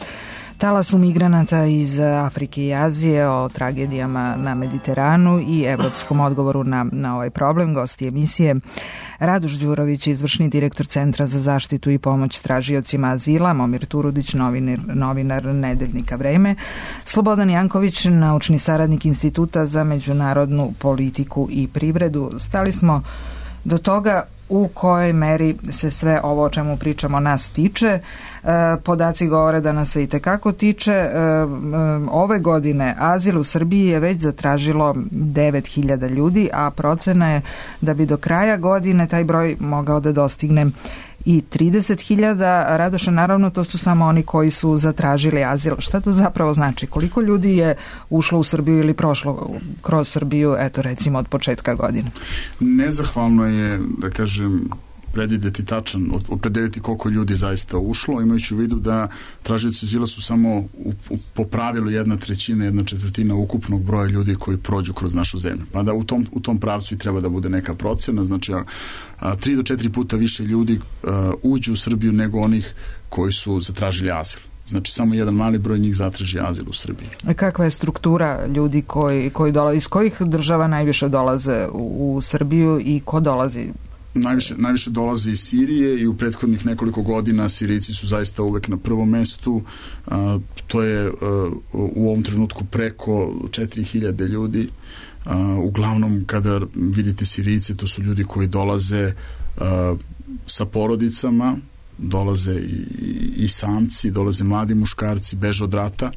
D: talasu migranata iz Afrike i Azije, o tragedijama na Mediteranu i evropskom odgovoru na, na ovaj problem. Gosti emisije Radoš Đurović, izvršni direktor Centra za zaštitu i pomoć tražiocima azila, Momir Turudić, novinar, novinar Nedeljnika Vreme, Slobodan Janković, naučni saradnik Instituta za međunarodnu politiku i privredu. Stali smo do toga u kojoj meri se sve ovo o čemu pričamo nas tiče. E, podaci govore da nas se i tekako tiče. E, ove godine azil u Srbiji je već zatražilo devet hiljada ljudi, a procena je da bi do kraja godine taj broj mogao da dostigne i trideset hiljada. Radoše, naravno, to su samo oni koji su zatražili azil. Šta to zapravo znači? Koliko ljudi je ušlo u Srbiju ili prošlo kroz Srbiju, eto recimo od početka godine?
G: Nezahvalno je, da kažem, predvideti tačan, opredeliti koliko ljudi zaista ušlo, imajući u vidu da tražioci azila su samo u, u, po pravilu jedna trećina, jedna četvrtina ukupnog broja ljudi koji prođu kroz našu zemlju. Pa da u tom, u tom pravcu i treba da bude neka procena, znači a, a, tri do četiri puta više ljudi a, uđu u Srbiju nego onih koji su zatražili azil. Znači, samo jedan mali broj njih zatraži azil u Srbiji.
D: A kakva je struktura ljudi koji, koji dolaze, iz kojih država najviše dolaze u, u Srbiju i ko dolazi?
G: Najviše, najviše dolazi iz Sirije i u prethodnih nekoliko godina Sirijci su zaista uvek na prvom mestu. A, to je a, u ovom trenutku preko četiri hiljade ljudi. A, uglavnom, kada vidite Sirijce, to su ljudi koji dolaze a, sa porodicama, dolaze i, i samci, dolaze mladi muškarci, beže od rata,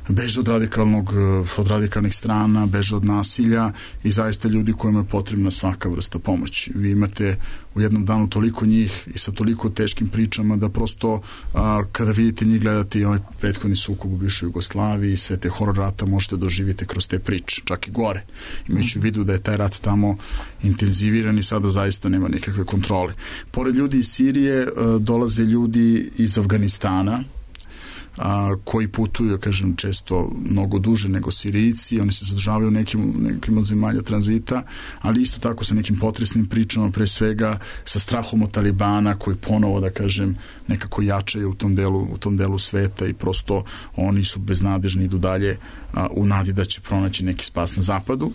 G: beže od radikalnog, od radikalnih strana, beže od nasilja i zaista ljudi kojima je potrebna svaka vrsta pomoći. Vi imate u jednom danu toliko njih i sa toliko teškim pričama da prosto a, kada vidite njih, gledate i ovaj prethodni sukob u bivšoj Jugoslaviji i sve te horor rata možete doživjeti kroz te priče, čak i gore. Imajući u vidu da je taj rat tamo intenziviran i sada zaista nema nikakve kontrole. Pored ljudi iz Sirije a, dolaze ljudi iz Afganistana, a, koji putuju, kažem, često mnogo duže nego Sirijci, oni se zadržavaju u nekim, nekim od zemalja tranzita, ali isto tako sa nekim potresnim pričama, pre svega sa strahom od Talibana koji ponovo, da kažem, nekako jačaju u tom delu, u tom delu sveta i prosto oni su beznadežni, idu dalje a, u nadi da će pronaći neki spas na zapadu.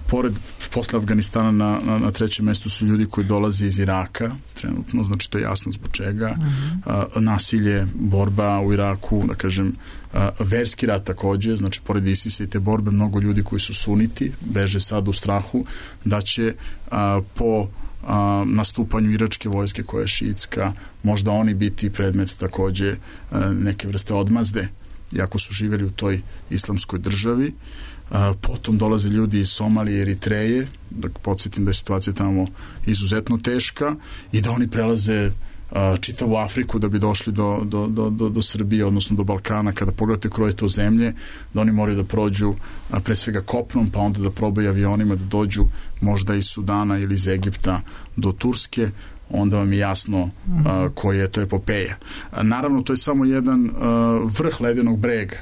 G: Pored, posle Afganistana na, na, na trećem mestu su ljudi koji dolaze iz Iraka, trenutno, znači to je jasno zbog čega. Uh-huh. A, nasilje, borba u Iraku, da kažem, a, verski rat takođe, znači pored ISIS-a i te borbe, mnogo ljudi koji su suniti, beže sad u strahu da će a, po a, nastupanju iračke vojske koja je šiitska, možda oni biti predmet takođe a, neke vrste odmazde, iako su živjeli u toj islamskoj državi. A, potom dolaze ljudi iz Somalije i Eritreje, da podsjetim da je situacija tamo izuzetno teška i da oni prelaze a, čitavu Afriku da bi došli do, do, do, do, do Srbije, odnosno do Balkana. Kada pogledate kroje to zemlje, da oni moraju da prođu a, pre svega kopnom, pa onda da probaju avionima da dođu možda iz Sudana ili iz Egipta do Turske, onda vam je jasno a, koja je to epopeja. A, naravno, to je samo jedan a, vrh ledenog brega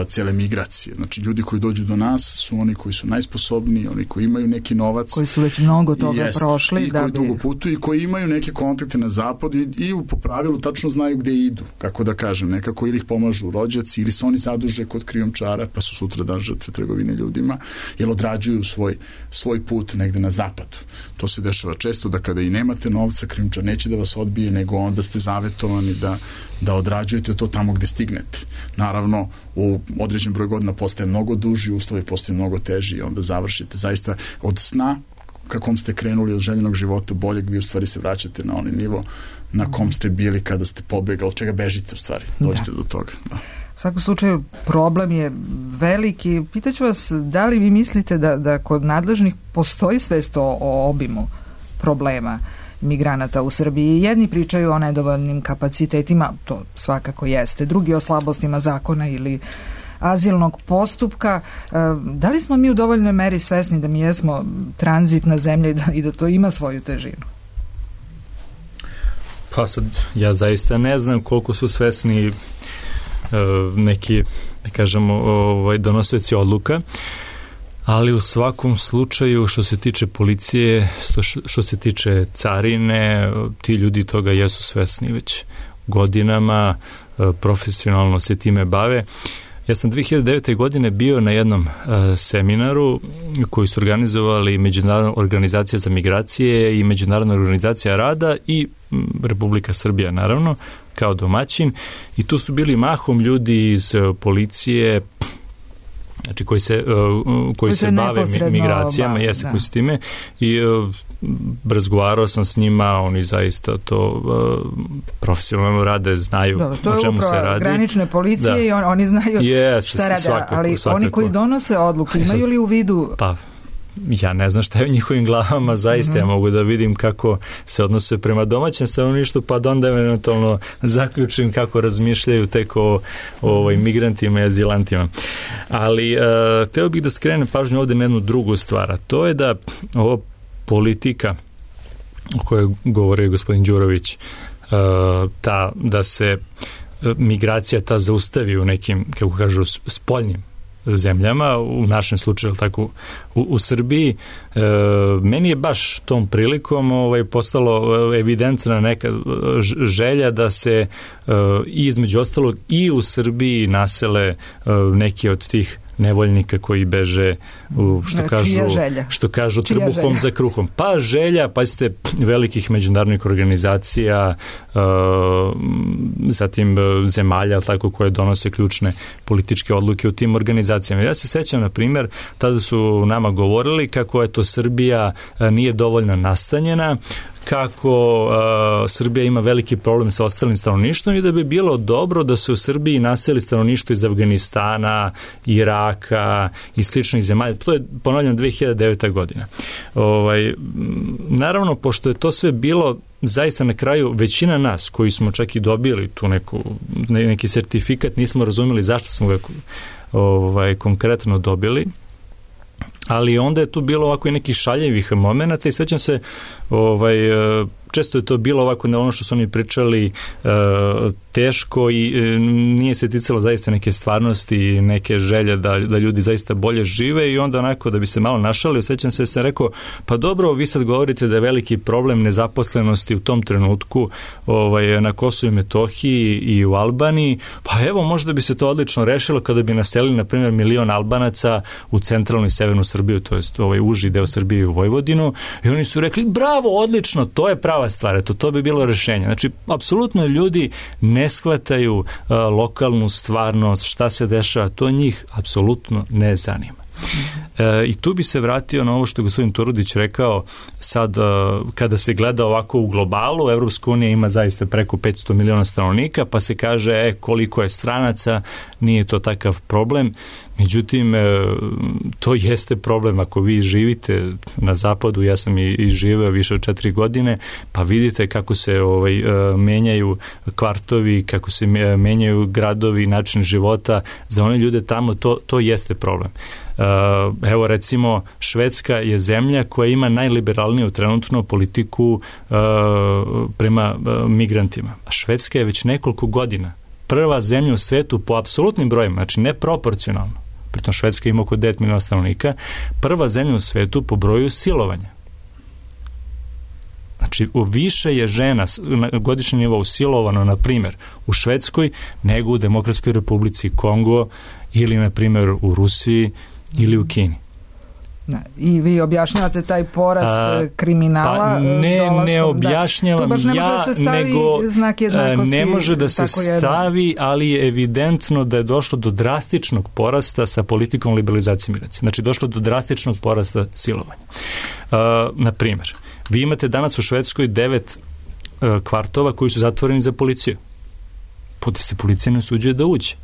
G: cele migracije. Znači, ljudi koji dođu do nas su oni koji su najsposobniji, oni koji imaju neki novac.
D: Koji su već mnogo toga jest, prošli.
G: I
D: da
G: koji
D: bi...
G: dugo putuju i koji imaju neke kontakte na zapadu i, i po pravilu tačno znaju gde idu, kako da kažem, nekako ili ih pomažu rođaci ili se oni zaduže kod krijumčara pa su sutra dan žrtve trgovine ljudima, jer odrađuju svoj, svoj put negde na zapadu. To se dešava često da kada i nemate novca, krijumčar neće da vas odbije, nego onda ste zavetovani da, da odrađujete to tamo gde stignete. Naravno, u određen broj godina postaje mnogo duži, uslovi postaju mnogo teži i onda završite zaista od sna kakom ste krenuli od željenog života boljeg, vi u stvari se vraćate na onaj nivo na kom ste bili kada ste pobegali, od čega bežite u stvari, dođete da. do toga. Da.
D: U svakom slučaju problem je veliki. Pitaću vas, da li vi mislite da, da kod nadležnih postoji svest o, o obimu problema migranata u Srbiji? Jedni pričaju o nedovoljnim kapacitetima, to svakako jeste, drugi o slabostima zakona ili azilnog postupka. Da li smo mi u dovoljnoj meri svesni da mi jesmo tranzitna zemlja i da, i da to ima svoju težinu?
B: Pa sad, ja zaista ne znam koliko su svesni neki, da kažemo, ovaj, donosioci odluka, ali u svakom slučaju što se tiče policije, što, što se tiče carine, ti ljudi toga jesu svesni već godinama, profesionalno se time bave. Ja sam dve hiljade devete. godine bio na jednom uh, seminaru koji su organizovali Međunarodna organizacija za migracije i Međunarodna organizacija rada i m, Republika Srbija, naravno, kao domaćin. I tu su bili mahom ljudi iz uh, policije, znači koji se, uh, koji se, se bave migracijama, jeste da. koji se time, i uh, razgovarao sam s njima, oni zaista to uh, profesionalno rade, znaju Dobre, o čemu se radi. To je upravo granične
D: policije da. i on, oni znaju yes, šta rade, svakako, ali svakako. Oni koji donose odluku imaju li u vidu...
B: Pa, ja ne znam šta je u njihovim glavama, zaista mm-hmm. ja mogu da vidim kako se odnose prema domaćem stanovništvu, pa da onda eventualno zaključim kako razmišljaju tek o, o imigrantima i azilantima. Ali uh, teo bih da skrenem pažnju ovde na jednu drugu stvar, a to je da ovo politika o kojoj govori gospodin Đurović, uh, ta, da se migracija ta zaustavi u nekim, kako kažu, spoljnim zemljama, u našem slučaju tako u, u Srbiji. E, meni je baš tom prilikom ovaj, postalo evidentna neka želja da se e, između ostalog i u Srbiji nasele e, neki od tih nevoljnika koji beže u, što
D: Čija
B: kažu
D: želja?
B: što kažu
D: Čija
B: trbuhom
D: želja?
B: za kruhom. Pa želja, pa ste velikih međunarodnih organizacija, uh, zatim uh, zemalja, tako, koje donose ključne političke odluke u tim organizacijama. Ja se sećam, na primjer, tada su nama govorili kako je to Srbija uh, nije dovoljno nastanjena, kako uh, Srbija ima veliki problem sa ostalim stanovništvom i da bi bilo dobro da se u Srbiji naseli stanovništvo iz Afganistana, Iraka i sličnih zemalja. To je, ponavljam, dve hiljade deveta. godina. Ovaj, naravno, pošto je to sve bilo zaista na kraju, većina nas koji smo čak i dobili tu neku, neki sertifikat, nismo razumeli zašto smo ga ovaj, konkretno dobili, ali onda je tu bilo ovako i nekih šaljevih momenata i sećam se, ovaj, često je to bilo ovako na ono što su oni pričali uh, teško i uh, nije se ticalo zaista neke stvarnosti i neke želje da, da ljudi zaista bolje žive i onda onako da bi se malo našalio, sećam se, sam rekao, pa dobro, vi sad govorite da je veliki problem nezaposlenosti u tom trenutku ovaj, na Kosovu i Metohiji i u Albaniji, pa evo možda bi se to odlično rešilo kada bi naselili na primjer milion Albanaca u centralnu i severnu Srbiju, to jest ovaj uži deo Srbije i u Vojvodinu, i oni su rekli, bravo, odlično, to je prava stvar, eto, to bi bilo rešenje. Znači, apsolutno ljudi ne shvataju uh, lokalnu stvarnost, šta se dešava, to njih apsolutno ne zanima. E, I tu bi se vratio na ovo što je gospodin Turudić rekao, sad kada se gleda ovako u globalu, Evropska unija ima zaista preko petsto miliona stanovnika, pa se kaže e, koliko je stranaca, nije to takav problem. Međutim, to jeste problem ako vi živite na zapadu, ja sam i, i živeo više od četiri godine, pa vidite kako se ovaj, menjaju kvartovi, kako se menjaju gradovi, način života, za one ljude tamo to, to jeste problem. Evo recimo, Švedska je zemlja koja ima najliberalniju trenutno politiku prema migrantima. A Švedska je već nekoliko godina prva zemlja u svetu po apsolutnim brojima, znači ne proporcionalno, pritom Švedska ima oko devet miliona stanovnika, prva zemlja u svetu po broju silovanja. Znači, više je žena na godišnjem nivou silovano, na primjer, u Švedskoj, nego u Demokratskoj republici Kongo ili, na primjer, u Rusiji ili u Kini.
D: Da, i vi objašnjavate taj porast a, kriminala?
B: Pa ne,
D: dolaskom,
B: ne objašnjavam
D: da, ne
B: ja,
D: da se
B: nego
D: znak jednakosti,
B: ne može da se stavi, ali je evidentno da je došlo do drastičnog porasta sa politikom liberalizacije migracije. Znači, došlo do drastičnog porasta silovanja. Uh, na primjer, vi imate danas u Švedskoj devet uh, kvartova koji su zatvoreni za policiju. Puta se policija ne usuđuje da uđe.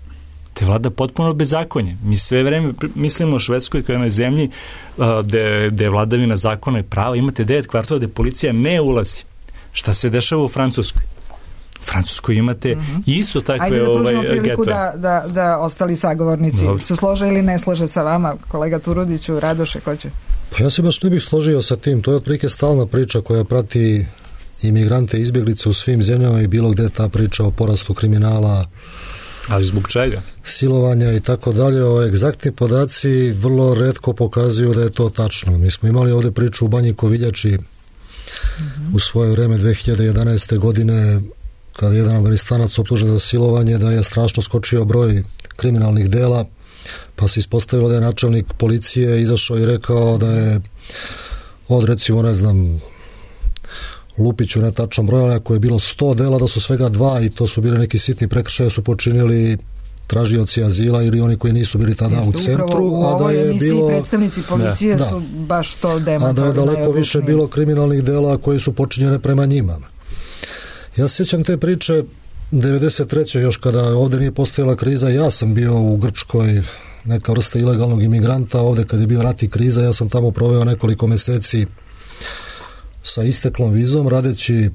B: Te vlada potpuno bezakonje. Mi sve vreme mislimo o Švedskoj kao jednoj zemlji uh, gde, gde je vladavina zakona i prava. Imate devet kvartova gde policija ne ulazi. Šta se dešava u Francuskoj? U Francuskoj imate mm-hmm. isto takve
D: Ajde da pružimo
B: ovaj,
D: priliku
B: getove.
D: da, da, da ostali sagovornici
B: Dobre.
D: se slože ili ne slože sa vama. Kolega Turudiću, Radoše, ko će?
E: Pa ja se baš ne bih složio sa tim. To je otprilike stalna priča koja prati imigrante i izbjeglice u svim zemljama i bilo gde ta priča o porastu kriminala,
B: ali zbog čega?
E: Silovanja i tako dalje. O egzaktni podaci vrlo retko pokazuju da je to tačno. Mi smo imali ovde priču u Banji Koviljači mm-hmm. u svoje vreme dve hiljade jedanaeste. godine kada je jedan Afganistanac optužen za silovanje, da je strašno skočio broj kriminalnih dela, pa se ispostavilo da je načelnik policije izašao i rekao da je od recimo ne znam Lupiću netačan broj, ali ako je bilo sto dela, da su svega dva i to su bili neki sitni prekršaje, su počinili tražioci azila ili oni koji nisu bili tada Jeste, u centru.
D: U
E: a da je bilo
D: predstavnici policije da. su baš to demantovali.
E: A da je daleko više bilo kriminalnih dela koji su počinjene prema njima. Ja se sjećam te priče devedeset treće još kada ovde nije postojala kriza, ja sam bio u Grčkoj, neka vrsta ilegalnog imigranta, ovde kad je bio rat i kriza, ja sam tamo proveo nekoliko meseci sa isteklom vizom, radeći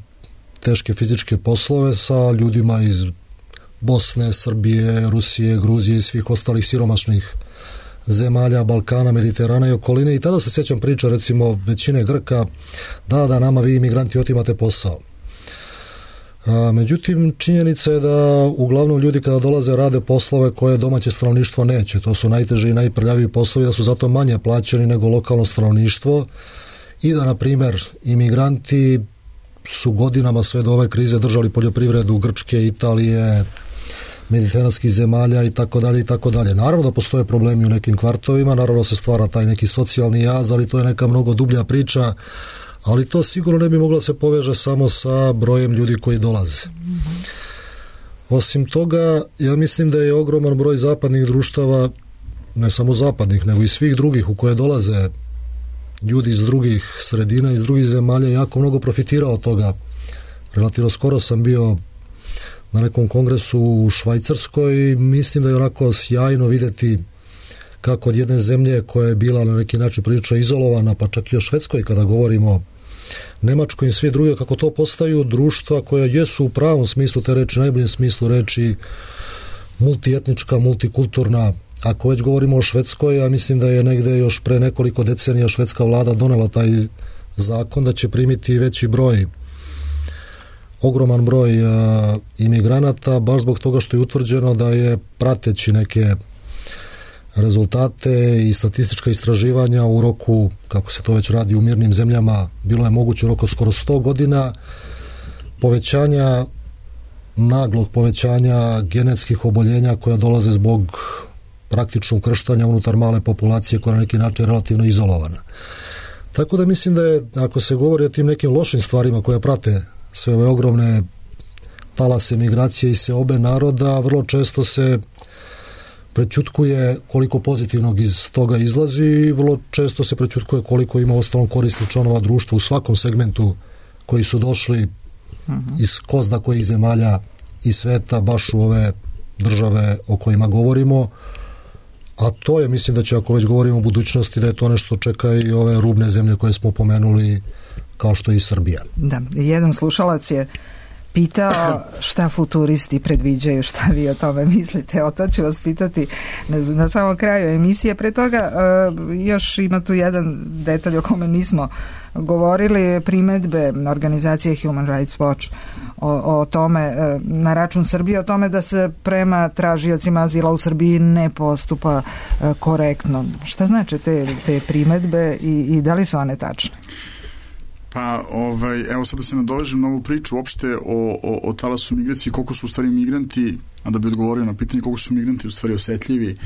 E: teške fizičke poslove sa ljudima iz Bosne, Srbije, Rusije, Gruzije i svih ostalih siromašnih zemalja, Balkana, Mediterana i okoline. I tada se sjećam priča, recimo, većine Grka, da, da, nama vi imigranti otimate posao. A, međutim, činjenica je da uglavnom ljudi kada dolaze rade poslove koje domaće stanovništvo neće. To su najteži i najprljaviji poslovi, da su zato manje plaćeni nego lokalno stanovništvo i da, na primjer, imigranti su godinama sve do ove krize držali poljoprivredu Grčke, Italije, mediteranskih zemalja i tako dalje i tako dalje. Naravno da postoje problemi u nekim kvartovima, naravno se stvara taj neki socijalni jaz, ali to je neka mnogo dublja priča, ali to sigurno ne bi moglo se poveže samo sa brojem ljudi koji dolaze. Osim toga, ja mislim da je ogroman broj zapadnih društava, ne samo zapadnih, nego i svih drugih u koje dolaze ljudi iz drugih sredina, iz drugih zemalja, jako mnogo profitirao od toga. Relativno skoro sam bio na nekom kongresu u Švajcarskoj i mislim da je onako sjajno vidjeti kako od jedne zemlje koja je bila na neki način prilično izolovana, pa čak i o Švedskoj kada govorimo, Nemačkoj i sve druge, kako to postaju društva koja jesu u pravom smislu te reči, najboljem smislu reči, multietnička, multikulturna. Ako već govorimo o Švedskoj, ja mislim da je negde još pre nekoliko decenija švedska vlada donela taj zakon da će primiti veći broj, ogroman broj a, imigranata, baš zbog toga što je utvrđeno da je prateći neke rezultate i statistička istraživanja u roku, kako se to već radi u mirnim zemljama, bilo je moguće u roku skoro sto godina povećanja, naglog povećanja genetskih oboljenja koja dolaze zbog praktično ukrštanja unutar male populacije koja je na neki način relativno izolovana. Tako da mislim da je, ako se govori o tim nekim lošim stvarima koje prate sve ove ogromne talase migracije i seobe naroda, vrlo često se prećutkuje koliko pozitivnog iz toga izlazi i vrlo često se prećutkuje koliko ima ostalom korisnih članova društva u svakom segmentu koji su došli uh-huh. iz ko zna kojih zemalja i sveta baš u ove države o kojima govorimo, a to je, mislim da će, ako već govorimo o budućnosti, da je to nešto čeka i ove rubne zemlje koje smo pomenuli, kao što je i Srbija.
D: Da, jedan slušalac je pitao šta futuristi predviđaju, šta vi o tome mislite. O to ću vas pitati na samom kraju emisije. Pre toga još ima tu jedan detalj o kome nismo govorili, primedbe organizacije Human Rights Watch o, o tome na račun Srbije, o tome da se prema tražiocima azila u Srbiji ne postupa korektno. Šta znači te, te primedbe i, i da li su one tačne?
G: Pa, ovaj, evo sad da se nadovežem na ovu priču uopšte o, o, o talasu migracije, koliko su u stvari migranti, a da bi odgovorio na pitanje koliko su migranti u stvari osetljivi,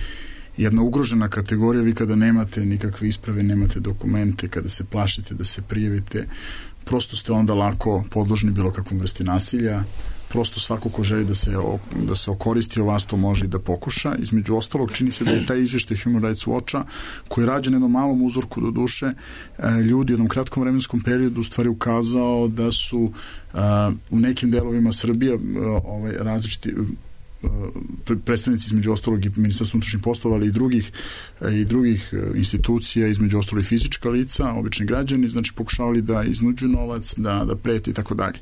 G: jedna ugrožena kategorija. Vi kada nemate nikakve isprave, nemate dokumente, kada se plašite da se prijavite, prosto ste onda lako podložni bilo kakvom vrsti nasilja. Prosto svako ko želi da se, da se okoristi o vas to može i da pokuša. Između ostalog, čini se da je taj izvještaj Human Rights Watcha, koji je rađen jednom malom uzorku do duše, ljudi u jednom kratkom vremenskom periodu u stvari ukazao da su u nekim delovima Srbije ovaj, različiti predstavnici između ostalog i Ministarstva unutrašnjih poslova, ali i drugih i drugih institucija, između ostalog i fizička lica, obični građani, znači pokušavali da iznuđuju novac, da, da prete i tako dalje.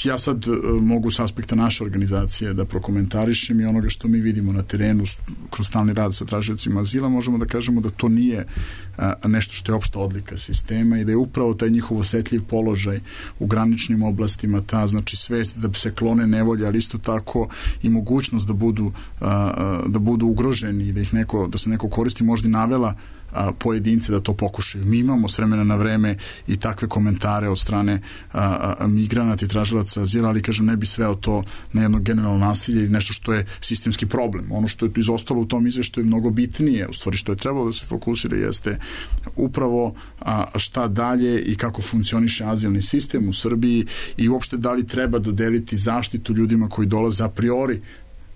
G: Ja sad mogu s aspekta naše organizacije da prokomentarišem i onoga što mi vidimo na terenu kroz stalni rad sa tražiocima azila, možemo da kažemo da to nije nešto što je opšta odlika sistema i da je upravo taj njihov osetljiv položaj u graničnim oblastima, ta znači svest da se klone nevolje, ali isto tako i mogućnost da budu, da budu ugroženi i da ih neko, da se neko koristi, možda i navela a, pojedince da to pokušaju. Mi imamo s vremena na vreme i takve komentare od strane a, a, migranata i tražilaca azila, ali kažem ne bi sveo to na jedno generalno nasilje ili nešto što je sistemski problem. Ono što je tu izostalo u tom izveštaju je mnogo bitnije, u stvari što je trebalo da se fokusira jeste upravo a, šta dalje i kako funkcioniše azilni sistem u Srbiji i uopšte da li treba dodeliti zaštitu ljudima koji dolaze a priori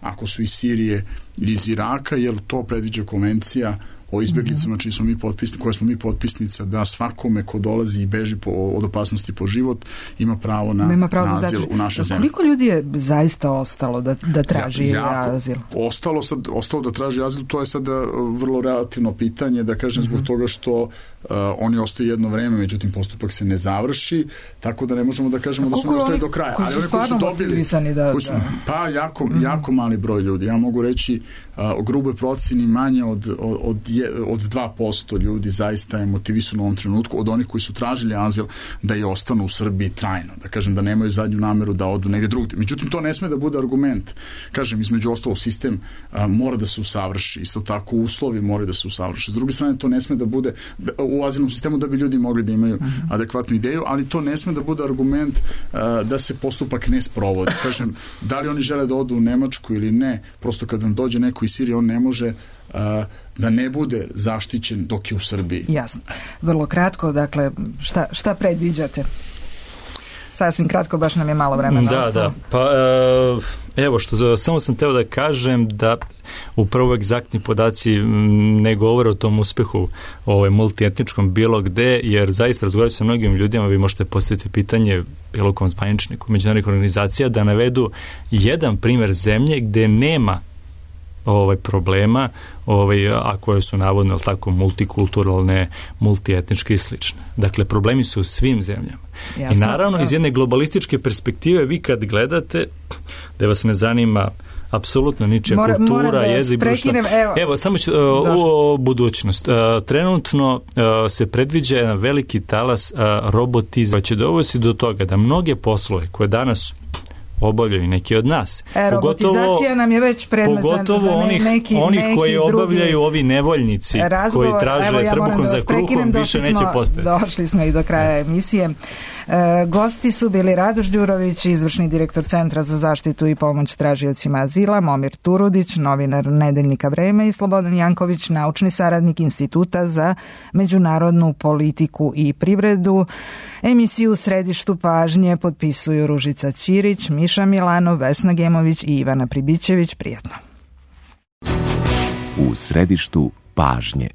G: ako su iz Sirije ili iz Iraka, jer to predviđa konvencija o izbjeglicama čiji smo mi potpisni, koje smo mi potpisnica, da svakome ko dolazi i beži po, od opasnosti po život ima pravo na, ima pravo na azil znači, u našoj zemlji.
D: Koliko ljudi je zaista ostalo da, da traži ja, azil?
G: Ostalo, sad, ostalo da traži azil, to je sad vrlo relativno pitanje, da kažem, zbog mm-hmm. toga što uh, oni ostaju jedno vreme, međutim postupak se ne završi, tako da ne možemo da kažemo da su oni ostali do kraja.
D: Koji su ali stvarno motivisani da...
G: Koji su, pa jako, mm-hmm. jako mali broj ljudi. Ja mogu reći uh, o gruboj proceni manje od, od, od od dva posto ljudi zaista je motivisano u ovom trenutku od onih koji su tražili azil da i ostanu u Srbiji trajno, da kažem da nemaju zadnju nameru da odu negdje drugdje. Međutim, to ne sme da bude argument. Kažem, između ostalog sistem a, mora da se usavrši, isto tako uslovi moraju da se usavrši. S druge strane, to ne sme da bude da, u azilnom sistemu da bi ljudi mogli da imaju uh-huh. adekvatnu ideju, ali to ne sme da bude argument a, da se postupak ne sprovodi. Kažem, da li oni žele da odu u Nemačku ili ne, prosto kad vam dođe neko iz Sirije, on ne može a, da ne bude zaštićen dok je u Srbiji.
D: Jasno. Vrlo kratko, dakle, šta, šta predviđate? Sasvim kratko, baš nam je malo vremena
B: da,
D: ostalo.
B: Da, pa evo što, samo sam teo da kažem da upravo egzaktni podaci ne govore o tom uspehu ovaj, multietničkom bilo gde, jer zaista razgovarati sa mnogim ljudima, vi možete postaviti pitanje bilo kom zvaničniku međunarodnih organizacija da navedu jedan primer zemlje gde nema ovaj problema, ovaj a koje su navodno tako multikulturalne, multietničke i slične. Dakle, problemi su u svim zemljama. Jasno, I naravno, ja. iz jedne globalističke perspektive, vi kad gledate, da vas ne zanima apsolutno ničija Mora, kultura, da jezik, društvo. Evo, evo, samo ću, uh, u budućnost. Uh, trenutno uh, se predviđa jedan veliki talas uh, robotizacije, koja će dovesti do toga da mnoge poslove koje danas obavljaju neki od nas.
D: E, robotizacija nam je već predmet
B: pogotovo
D: za ne,
B: onih,
D: neki,
B: onih
D: neki
B: koji
D: drugi
B: obavljaju ovi nevoljnici
D: razgovor,
B: koji traže
D: ja
B: trbuhom
D: da
B: za kruhom, više
D: smo,
B: neće postojati.
D: Došli smo i do kraja emisije. E, gosti su bili Radoš Đurović, izvršni direktor Centra za zaštitu i pomoć tražiocima azila, Momir Turudić, novinar Nedeljnika Vreme i Slobodan Janković, naučni saradnik Instituta za međunarodnu politiku i privredu. Emisiju u središtu pažnje potpisuju Ružica Ćirić, Miša Milanov, Vesna Gemović i Ivana Pribićević. Prijatno.
P: U središtu pažnje.